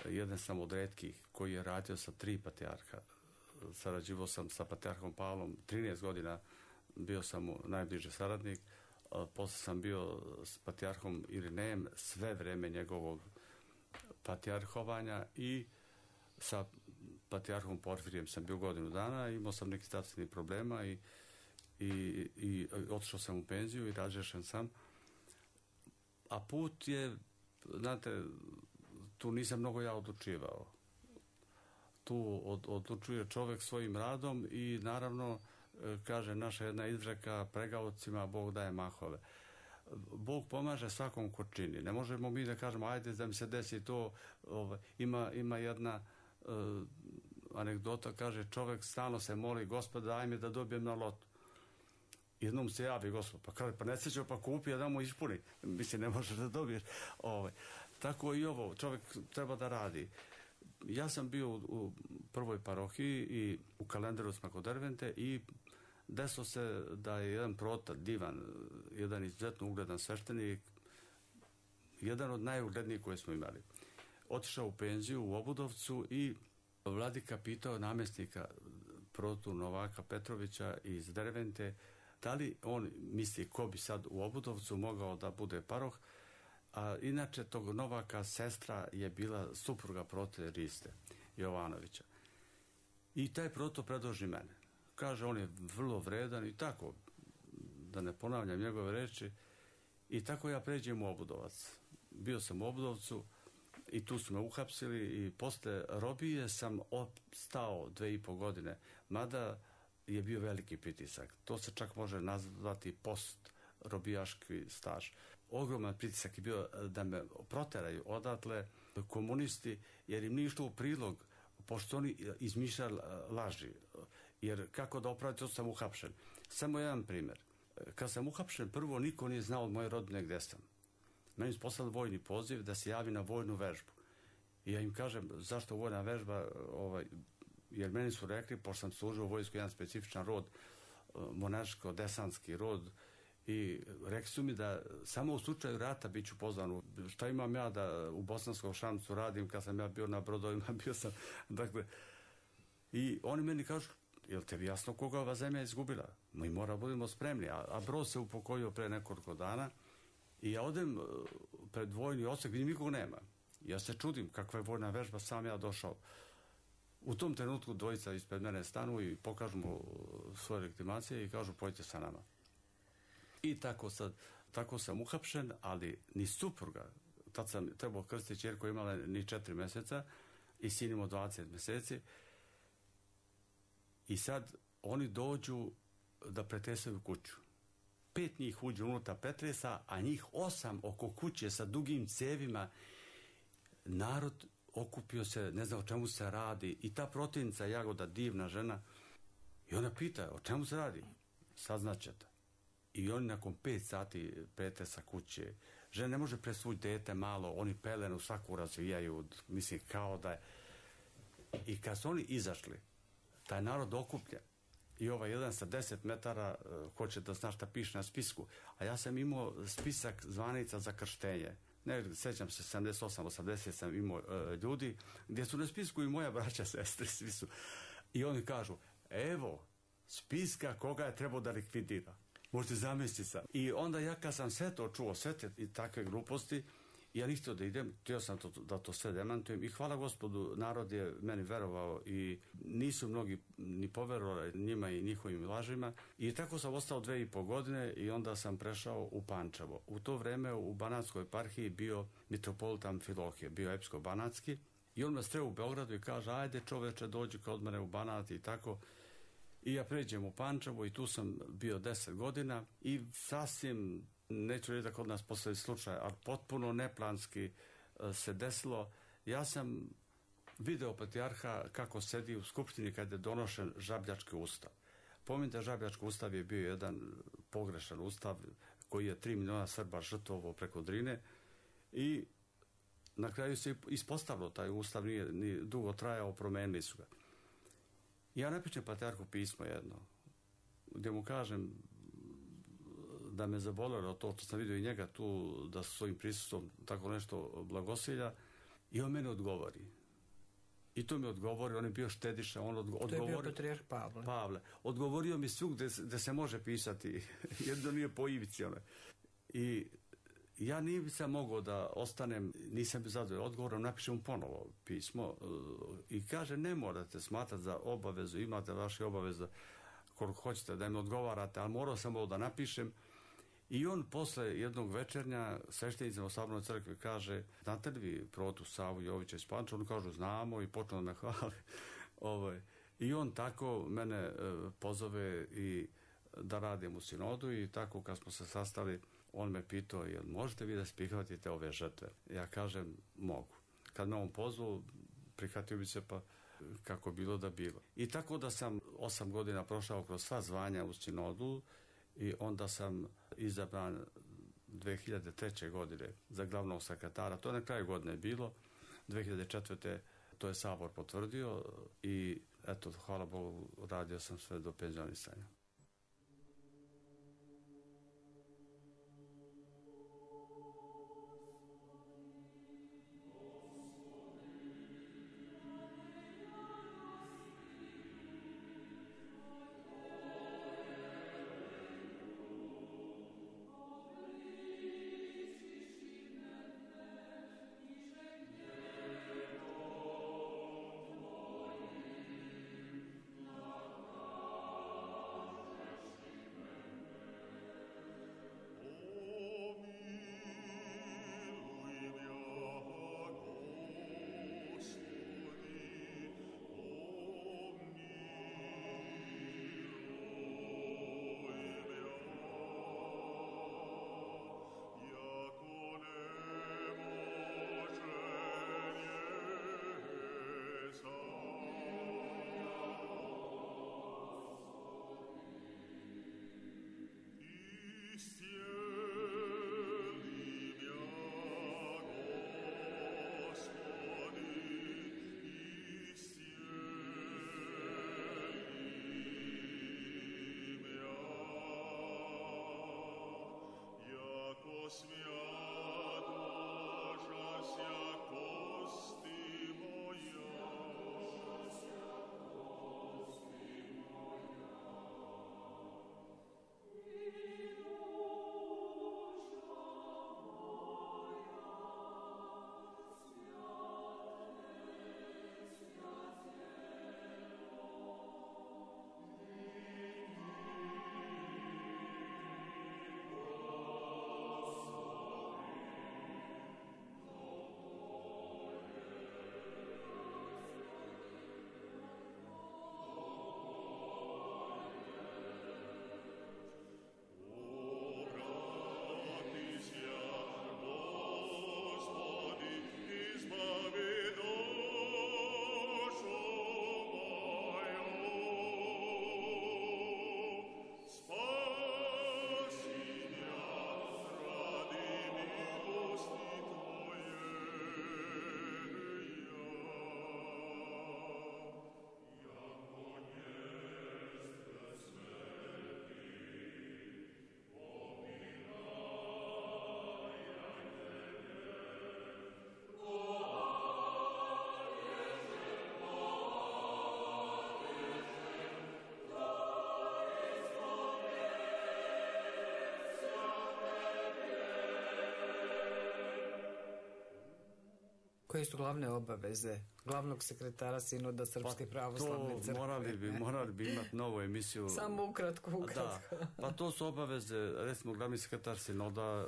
jedan sam od retkih koji je radio sa tri patrijarha. Sarađivao sam sa patrijarhom Pavlom trinaest godina, bio sam mu najbliži saradnik. Posle sam bio s patrijarhom Irinejem sve vreme njegovog patrijarhovanja i sa patrijarhom Porfirijem sam bio godinu dana, imao sam neki zdravstvenih problema i, i, i otišao sam u penziju i razrešen sam. A put je, znate, tu nisam mnogo ja odlučivao. Tu od, odlučuje čovjek svojim radom i naravno, kaže naša jedna izreka, pregaocima Bog daje mahove. Bog pomaže svakom ko čini. Ne možemo mi da kažemo ajde da mi se desi to. Ovaj, ima, ima jedna uh, anegdota, kaže čovjek stalno se moli, Gospod daj mi da dobijem na lotu. Jednom se javi Gospod, pa kaže pa ne sećao pa kupi, a da mu ispuni. Mislim, ne možeš da dobiješ. Ovaj. Tako i ovo, čovjek treba da radi. Ja sam bio u, u prvoj parohiji i u kalendaru smo kod Dervente i desilo se da je jedan protar, divan, jedan izuzetno ugledan sveštenik, jedan od najuglednijih koje smo imali. Otišao u penziju u Obudovcu i vladika pitao namjesnika protu Novaka Petrovića iz Dervente da li on misli ko bi sad u Obudovcu mogao da bude paroh. A inače tog Novaka sestra je bila supruga prote Riste Jovanovića. I taj proto predloži mene. Kaže, on je vrlo vredan i tako, da ne ponavljam njegove reči, i tako ja pređem u Obudovac. Bio sam u Obudovcu i tu su me uhapsili i posle robije sam ostao dve i po godine, mada je bio veliki pritisak. To se čak može nazvati post robijaški staž. Ogroman pritisak je bio da me proteraju odatle komunisti, jer im nije išlo u prilog, pošto oni izmišljali laži. Jer kako da opraviti, sam uhapšen. Samo jedan primjer. Kad sam uhapšen, prvo niko nije znao od moje rodine gdje sam. Meni su poslali vojni poziv da se javi na vojnu vežbu. I ja im kažem, zašto vojna vežba, ovaj, jer meni su rekli, pošto sam služio u vojsku jedan specifičan rod, monaško-desanski rod, i rekli su mi da samo u slučaju rata bit ću pozvan. Šta imam ja da u Bosanskom Šamcu radim kad sam ja bio na brodovima, bio sam, dakle, i oni meni kažu, jel tebi jasno koga ova zemlja izgubila? Mi mora budemo spremni, a, a brod se upokojio pre nekoliko dana i ja odem pred vojni odsek, vidim nikog nema. Ja se čudim kakva je vojna vežba, sam ja došao. U tom trenutku dvojica ispred mene stanu i pokažu mu svoje legitimacije i kažu pojdite sa nama. I tako sad, tako sam uhapšen, ali ni supruga, tad sam trebao krstiti ćerku, imala ni četiri mjeseca i sin imao dvadeset mjeseci. I sad oni dođu da pretresaju kuću. Pet njih uđe unutra pretresa, a njih osam oko kuće sa dugim cevima. Narod okupio se, ne znam o čemu se radi. I ta protivnica Jagoda, divna žena, i ona pita o čemu se radi. Saznaćete. I oni nakon pet sati pretresa kuće, žena ne može presvući dete malo, oni pelenu svaku razvijaju, mislim kao da je. I kad su oni izašli, taj narod okuplja i ovaj jedan sa deset metara uh, hoće da zna šta piše na spisku, a ja sam imao spisak zvanica za krštenje. Ne, sećam se, sedamdeset osam osamdeset sam imao uh, ljudi gdje su na spisku i moja braća, sestre, svi su. I oni kažu, evo spiska koga je trebao da likvidira. Možete zamisliti sam. I onda ja kad sam sve to čuo, sve te i takve gluposti, ja nisam da idem, htio sam to, da to sve demantujem i hvala Gospodu, narod je meni verovao i nisu mnogi ni poverovali njima i njihovim lažima. I tako sam ostao dve i po godine i onda sam prešao u Pančevo. U to vreme u Banatskoj eparhiji bio mitropolitan Filohije, bio epsko-banatski i on me sreo u Beogradu i kaže, ajde čoveče, dođi kod mene u Banat i tako. I ja pređem u Pančevo i tu sam bio deset godina i sasvim, neću reći da kod nas postoji slučaj, ali potpuno neplanski se desilo. Ja sam video patrijarha kako sedi u skupštini kad je donošen Žabljački ustav. Pominjte, Žabljački ustav je bio jedan pogrešan ustav koji je tri miliona Srba žrtvovao preko Drine i na kraju se ispostavilo taj ustav, nije, nije dugo trajao, promenili su ga. Ja napišem patrijarhu pismo jedno, gdje mu kažem da me zabolelo to što sam vidio i njega tu, da su svojim prisustvom tako nešto blagosilja, i on mene odgovori. I to mi odgovori, on je bio štediša, on odgo- odgovori... To je bio patrijarh Pavle. Pavle. Odgovorio mi svug gdje se može pisati, jedno nije po ivici. One. I ja nisam mogao da ostanem, nisam bio zadovoljan odgovorom, napišem mu ponovo pismo i kaže, ne morate smatrati za obavezu, imate vaše obaveze koliko hoćete da im odgovarate, ali morao sam ovo da napišem. I on posle jednog večernja sveštenicima u Sabornoj crkvi kaže, znate li vi protu Savu Jovića iz Pančeva? On kažu, znamo, i počeo da me hvali. Ovaj. I on tako mene e, pozove i da radim u sinodu i tako kad smo se sastali, on me pitao, jel možete vi da prihvatite ove žrtve? Ja kažem, mogu. Kad me on pozvao, prihvatio bi se, pa kako bilo da bilo. I tako da sam osam godina prošao kroz sva zvanja u sinodu i onda sam izabran dve hiljade treće. godine za glavnog sekretara. To je na kraju godine bilo. dve hiljade četvrte. to je Sabor potvrdio i eto, hvala Bogu, radio sam sve do penzionisanja. Koje su glavne obaveze glavnog sekretara Sinoda Srpske pa pravoslavne crkve? Morali bi, morali bi imati novu emisiju. Samo ukratko, ukratko. Da, pa to su obaveze, recimo glavni sekretar Sinoda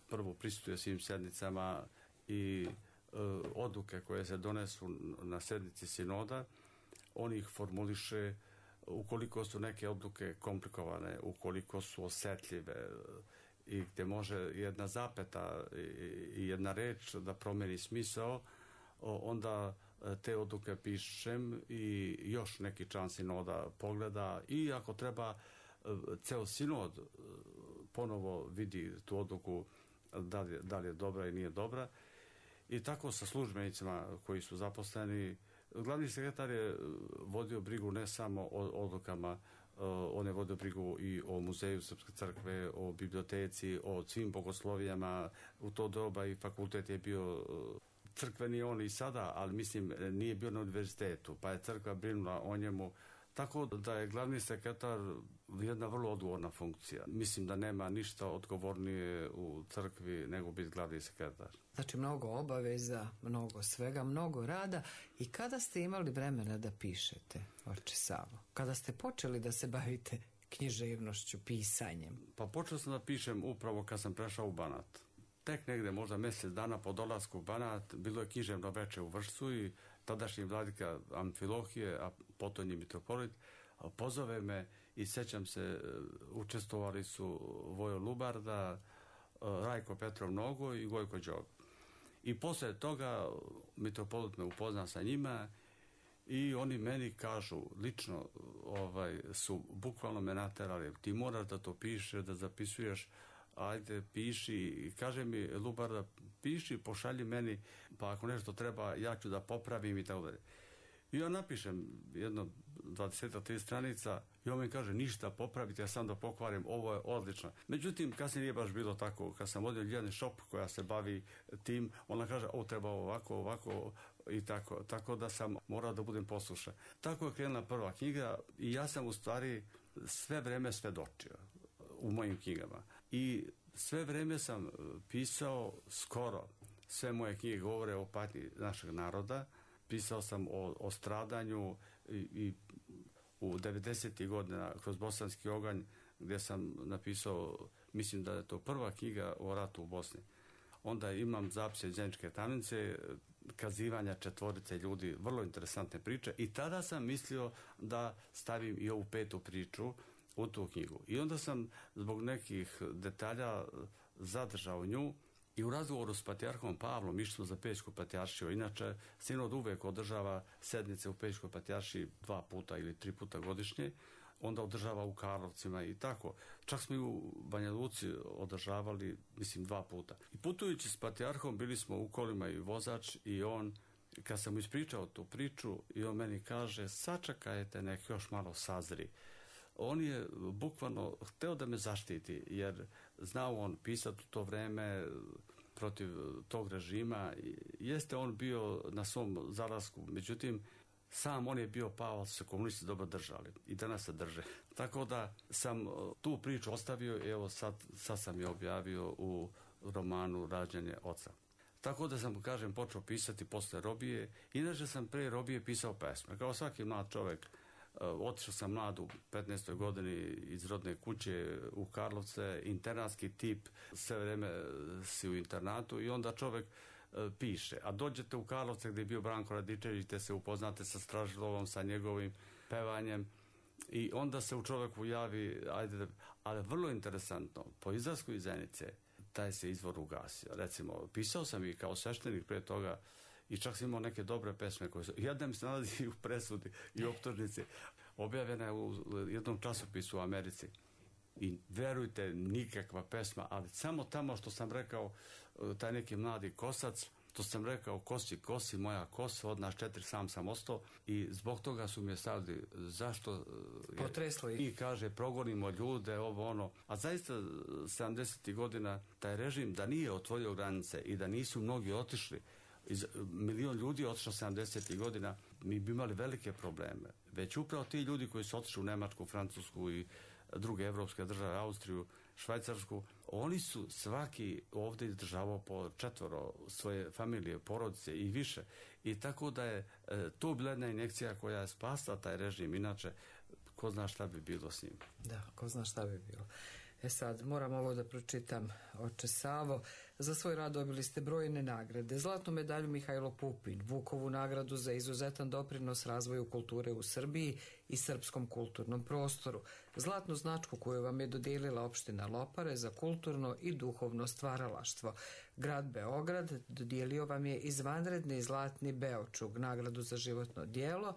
prvo prisutuje svim sednicama i e, odluke koje se donesu na sednici Sinoda, on ih formuliše ukoliko su neke odluke komplikovane, ukoliko su osetljive i gdje može jedna zapeta i jedna reč da promeni smisao, onda te odluke pišem i još neki član Sinoda pogleda i ako treba ceo Sinod ponovo vidi tu odluku da li, da li je dobra i nije dobra. I tako sa službenicima koji su zaposleni. Glavni sekretar je vodio brigu ne samo o odlukama, on je vodio brigu i o muzeju Srpske crkve, o biblioteci, o svim bogoslovijama. U to doba i fakultet je bio crkveni on i sada, ali mislim nije bio na univerzitetu, pa je crkva brinula o njemu. Tako da je glavni sekretar jedna vrlo odgovorna funkcija. Mislim da nema ništa odgovornije u crkvi nego biti glavni sekretar. Znači mnogo obaveza, mnogo svega, mnogo rada. I kada ste imali vremena da pišete, oče Savo? Kada ste počeli da se bavite književnošću, pisanjem? Pa počeo sam da pišem upravo kad sam prešao u Banat. Tek negde možda mjesec dana po dolasku u Banat bilo je književno veče u Vršcu i tadašnji vladika Amfilohije, a potonji mitropolit, pozove me i sećam se, učestvovali su Vojo Lubarda, Rajko Petrov Nogo i Gojko Đog. I posle toga mitropolit me upozna sa njima i oni meni kažu, lično ovaj, su bukvalno me naterali, ti moraš da to pišeš, da zapisuješ, ajde piši, i kaže mi Lubarda, piši, pošalji meni, pa ako nešto treba ja ću da popravim i tako dalje. I ja napišem jedno dvadeset tri stranica i on mi kaže ništa popraviti, ja sam da pokvarim, ovo je odlično. Međutim, kasnije nije baš bilo tako. Kad sam vodio Ljiljani Šop koja se bavi tim, ona kaže ovo treba ovako, ovako i tako. Tako da sam morao da budem poslušan. Tako je krenula prva knjiga i ja sam u stvari sve vreme svedočio u mojim knjigama. I sve vreme sam pisao skoro. Sve moje knjige govore o patnji našeg naroda. Pisao sam o, o stradanju i, i u devedesetih godina kroz Bosanski oganj gdje sam napisao, mislim da je to prva knjiga o ratu u Bosni. Onda imam zapise iz Zeničke tamnice, kazivanja četvorice ljudi, vrlo interesantne priče i tada sam mislio da stavim i ovu petu priču u tu knjigu. I onda sam zbog nekih detalja zadržao nju i u razgovoru s patrijarhom Pavlom išli za Pećku patrijaršiju. Inače, Sinod uvek održava sednice u Pećkoj patrijaršiji dva puta ili tri puta godišnje, onda održava u Karlovcima i tako. Čak smo i u Banja Luci održavali, mislim, dva puta. I putujući s patrijarhom bili smo u kolima i vozač i on, kad sam mu ispričao tu priču i on meni kaže, sačekajte nek još malo sazri. on je bukvalno hteo da me zaštiti, jer znao on pisati u to vreme protiv tog režima. Jeste on bio na svom zalasku, međutim, sam on je bio pao, se komunisti dobro držali i danas se drže. Tako da sam tu priču ostavio i evo sad, sad sam je objavio u romanu Rađanje oca. Tako da sam, kažem, počeo pisati posle robije. Inače sam pre robije pisao pesme. Kao svaki mlad čovjek, otišao sam mlad u petnaestoj godini iz rodne kuće u Karlovce, internatski tip, sve vreme si u internatu i onda čovjek piše. A dođete u Karlovce gdje je bio Branko Radičević, te se upoznate sa Stražilovom, sa njegovim pevanjem i onda se u čovjeku javi, ajde, ali vrlo interesantno, po izlasku iz Zenice, taj se izvor ugasio. Recimo, pisao sam i kao sveštenik pre toga i čak sam imao neke dobre pesme koje su, jedna mi se nalazi u presudi i optužnici, objavljena je u jednom časopisu u Americi. I verujte, nikakva pesma, ali samo tamo što sam rekao, taj neki mladi kosac, što sam rekao, kosi, kosi, moja kosa, od nas četiri sam sam ostao i zbog toga su mi je stavili, zašto? Potreslo ih. I kaže, progonimo ljude, ovo ono. A zaista, sedamdesetih godina, taj režim, da nije otvorio granice i da nisu mnogi otišli, iz, milion ljudi je otišlo sedamdesetih godina, mi bi imali velike probleme. Već upravo ti ljudi koji su otišli u Nemačku, Francusku i druge evropske države, Austriju, Švajcarsku, oni su svaki ovdje izdržavao po četvoro svoje familije, porodice i više. I tako da je e, to bila jedna injekcija koja je spasla taj režim, inače ko zna šta bi bilo s njim. Da, ko zna šta bi bilo. E sad, moram ovo da pročitam, oče Savo. Za svoj rad dobili ste brojne nagrade. Zlatnu medalju Mihajlo Pupin, Vukovu nagradu za izuzetan doprinos razvoju kulture u Srbiji i srpskom kulturnom prostoru. Zlatnu značku koju vam je dodijelila opština Lopare za kulturno i duhovno stvaralaštvo. Grad Beograd dodijelio vam je izvanredni zlatni Beočug, nagradu za životno djelo.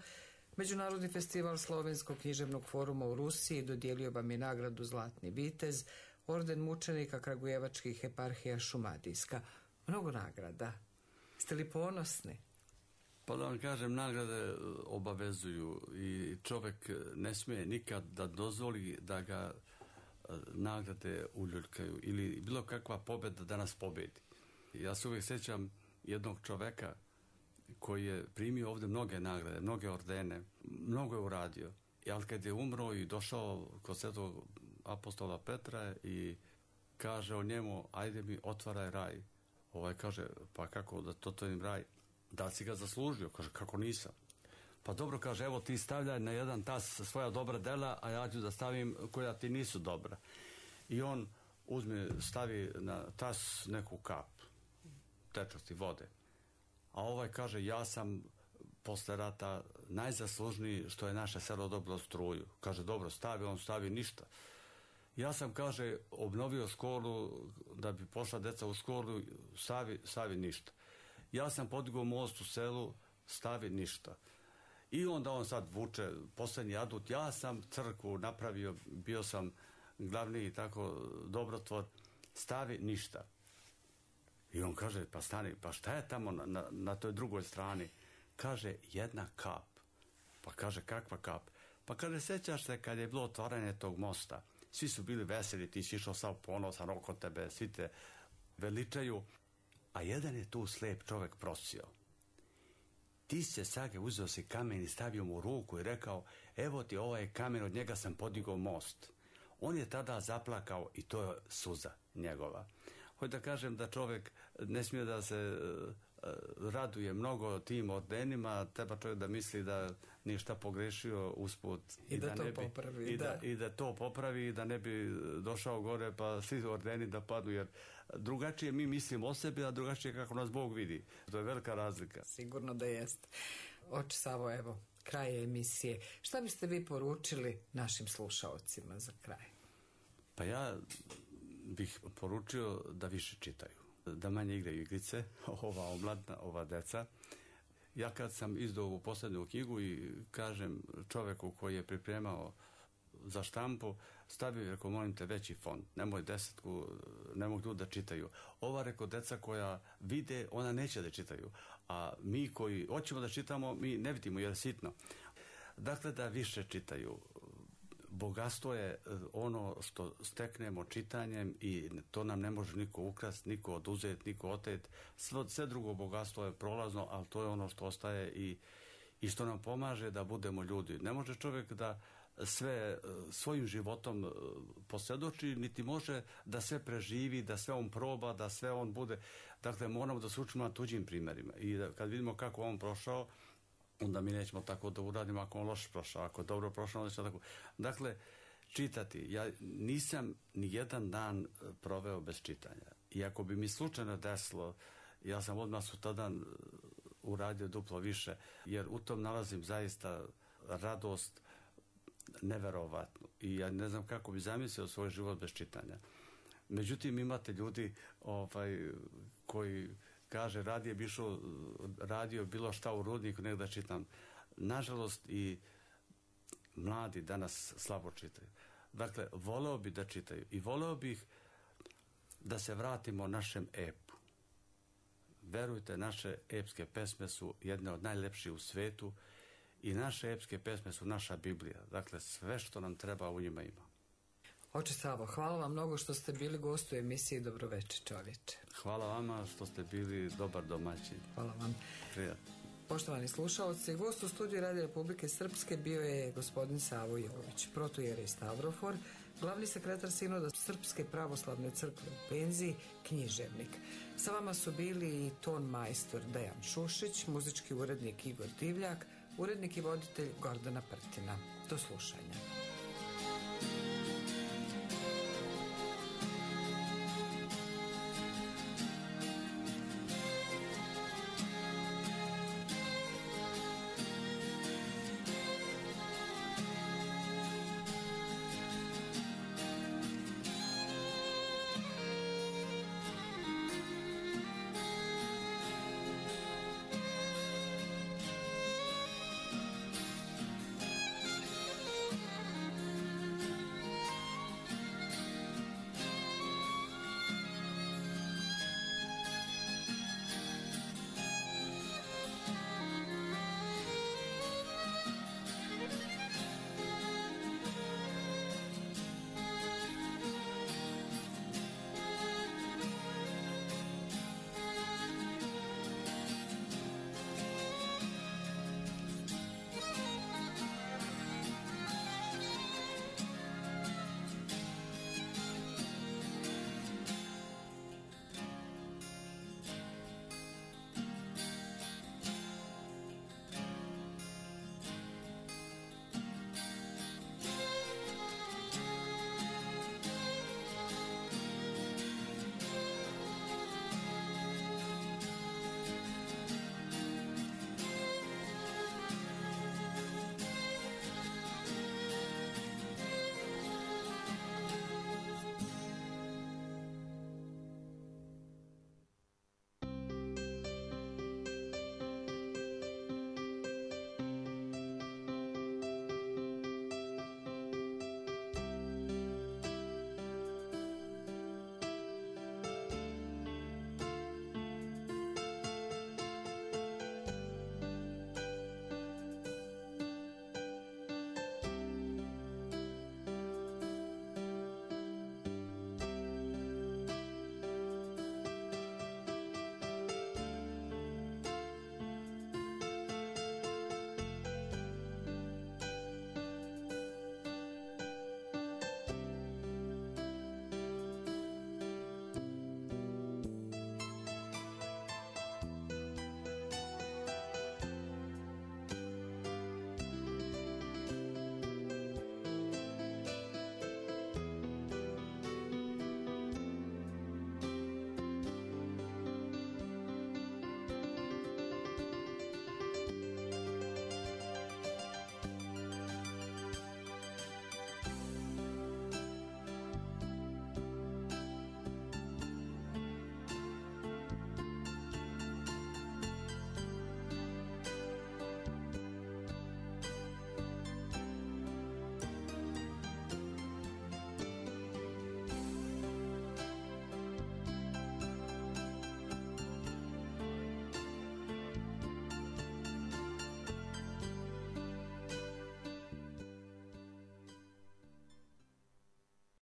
Međunarodni festival Slovenskog književnog foruma u Rusiji dodijelio vam je nagradu Zlatni vitez, orden mučenika Kragujevačkih eparhija Šumadijska. Mnogo nagrada. Ste li ponosni? Pa da vam kažem, nagrade obavezuju i čovjek ne smije nikad da dozvoli da ga nagrade uljuljkaju ili bilo kakva pobjeda da nas pobedi. Ja se uvijek sjećam jednog čoveka koji je primio ovdje mnoge nagrade, mnoge ordene, mnogo je uradio. Ali kad je umro i došao kod svetog apostola Petra i kaže o njemu, ajde mi otvaraj raj. Ovaj kaže, pa kako da to to im raj? Da si ga zaslužio? Kaže, kako nisam? Pa dobro, kaže, evo ti stavljaj na jedan tas svoja dobra dela, a ja ću da stavim koja ti nisu dobra. I on uzme, stavi na tas neku kap tečnosti vode. A ovaj kaže, ja sam posle rata najzaslužniji što je naše selo dobilo struju. Kaže, dobro, stavi, on stavi ništa. Ja sam, kaže, obnovio školu da bi pošla deca u školu, stavi, stavi ništa. Ja sam podigao most u selu, stavi ništa. I onda on sad vuče posljednji adut, ja sam crkvu napravio, bio sam glavni i tako dobrotvor, stavi ništa. I on kaže, pa stani, pa šta je tamo na, na, na toj drugoj strani? Kaže, jedna kap. Pa kaže, kakva kap? Pa kaže, sjećaš se kad je bilo otvaranje tog mosta, svi su bili veseli, ti si išao sav ponosan oko tebe, svi te veličaju, a jedan je tu slep čovjek prosio. Ti se Sage uzeo si kamen i stavio mu u ruku i rekao, evo ti ovaj kamen, od njega sam podigao most. On je tada zaplakao i to je suza njegova. Hoću da kažem da čovjek ne smije da se uh, raduje mnogo tim ordenima, treba čovjek da misli da nije šta pogrešio usput. I, I da, da to ne bi, popravi. I da. Da, I da to popravi i da ne bi došao gore pa svi ordeni da padnu, jer drugačije mi mislimo o sebi, a drugačije kako nas Bog vidi. To je velika razlika. Sigurno da jeste. Oče Savo, evo, kraj emisije. Šta biste vi poručili našim slušaocima za kraj? Pa ja bih poručio da više čitaju, da manje igraju igrice, ova omladna, ova deca. Ja kad sam izdao ovu posljednju knjigu i kažem čoveku koji je pripremao za štampu, stavio, rekao, molim te, veći font, nemoj desetku, ne mogu da čitaju. Ova, rekao, deca koja vide, ona neće da čitaju, a mi koji hoćemo da čitamo, mi ne vidimo jer je sitno. Dakle, da više čitaju. bogatstvo je ono što steknemo čitanjem i to nam ne može niko ukrasti, niko oduzeti, niko oteti. Sve, sve drugo bogatstvo je prolazno, ali to je ono što ostaje i, i što nam pomaže da budemo ljudi. Ne može čovjek da sve svojim životom posvjedoči, niti može da sve preživi, da sve on proba, da sve on bude. Dakle, moramo da se učimo na tuđim primjerima. I da, kad vidimo kako on prošao, onda mi nećemo tako da uradimo ako on loše prošao, ako je dobro prošao, onda će tako. Dakle, čitati. Ja nisam ni jedan dan proveo bez čitanja. I ako bi mi slučajno desilo, ja sam odmah sutradan uradio duplo više, jer u tom nalazim zaista radost neverovatnu. I ja ne znam kako bi zamislio svoj život bez čitanja. Međutim, imate ljudi ovaj, koji kaže radije bi išao, radio bilo šta u rudniku nego da čitam. Nažalost i mladi danas slabo čitaju. Dakle, voleo bi da čitaju i voleo bih da se vratimo našem epu. Verujte, naše epske pesme su jedne od najlepših u svetu i naše epske pesme su naša Biblija. Dakle, sve što nam treba u njima ima. Oče Savo, hvala vam mnogo što ste bili gost u emisiji Dobroveče čovječe. Hvala vama što ste bili dobar domaćin. Hvala vam. Prijatno. Poštovani slušaoci, gost u studiju Radio Republike Srpske bio je gospodin Savo Jović, protoijerej Stavrofor, glavni sekretar Sinoda Srpske pravoslavne crkve u penziji, književnik. Sa vama su bili i ton majstor Dejan Šušić, muzički urednik Igor Divljak, urednik i voditelj Gordana Prtina. Do slušanja.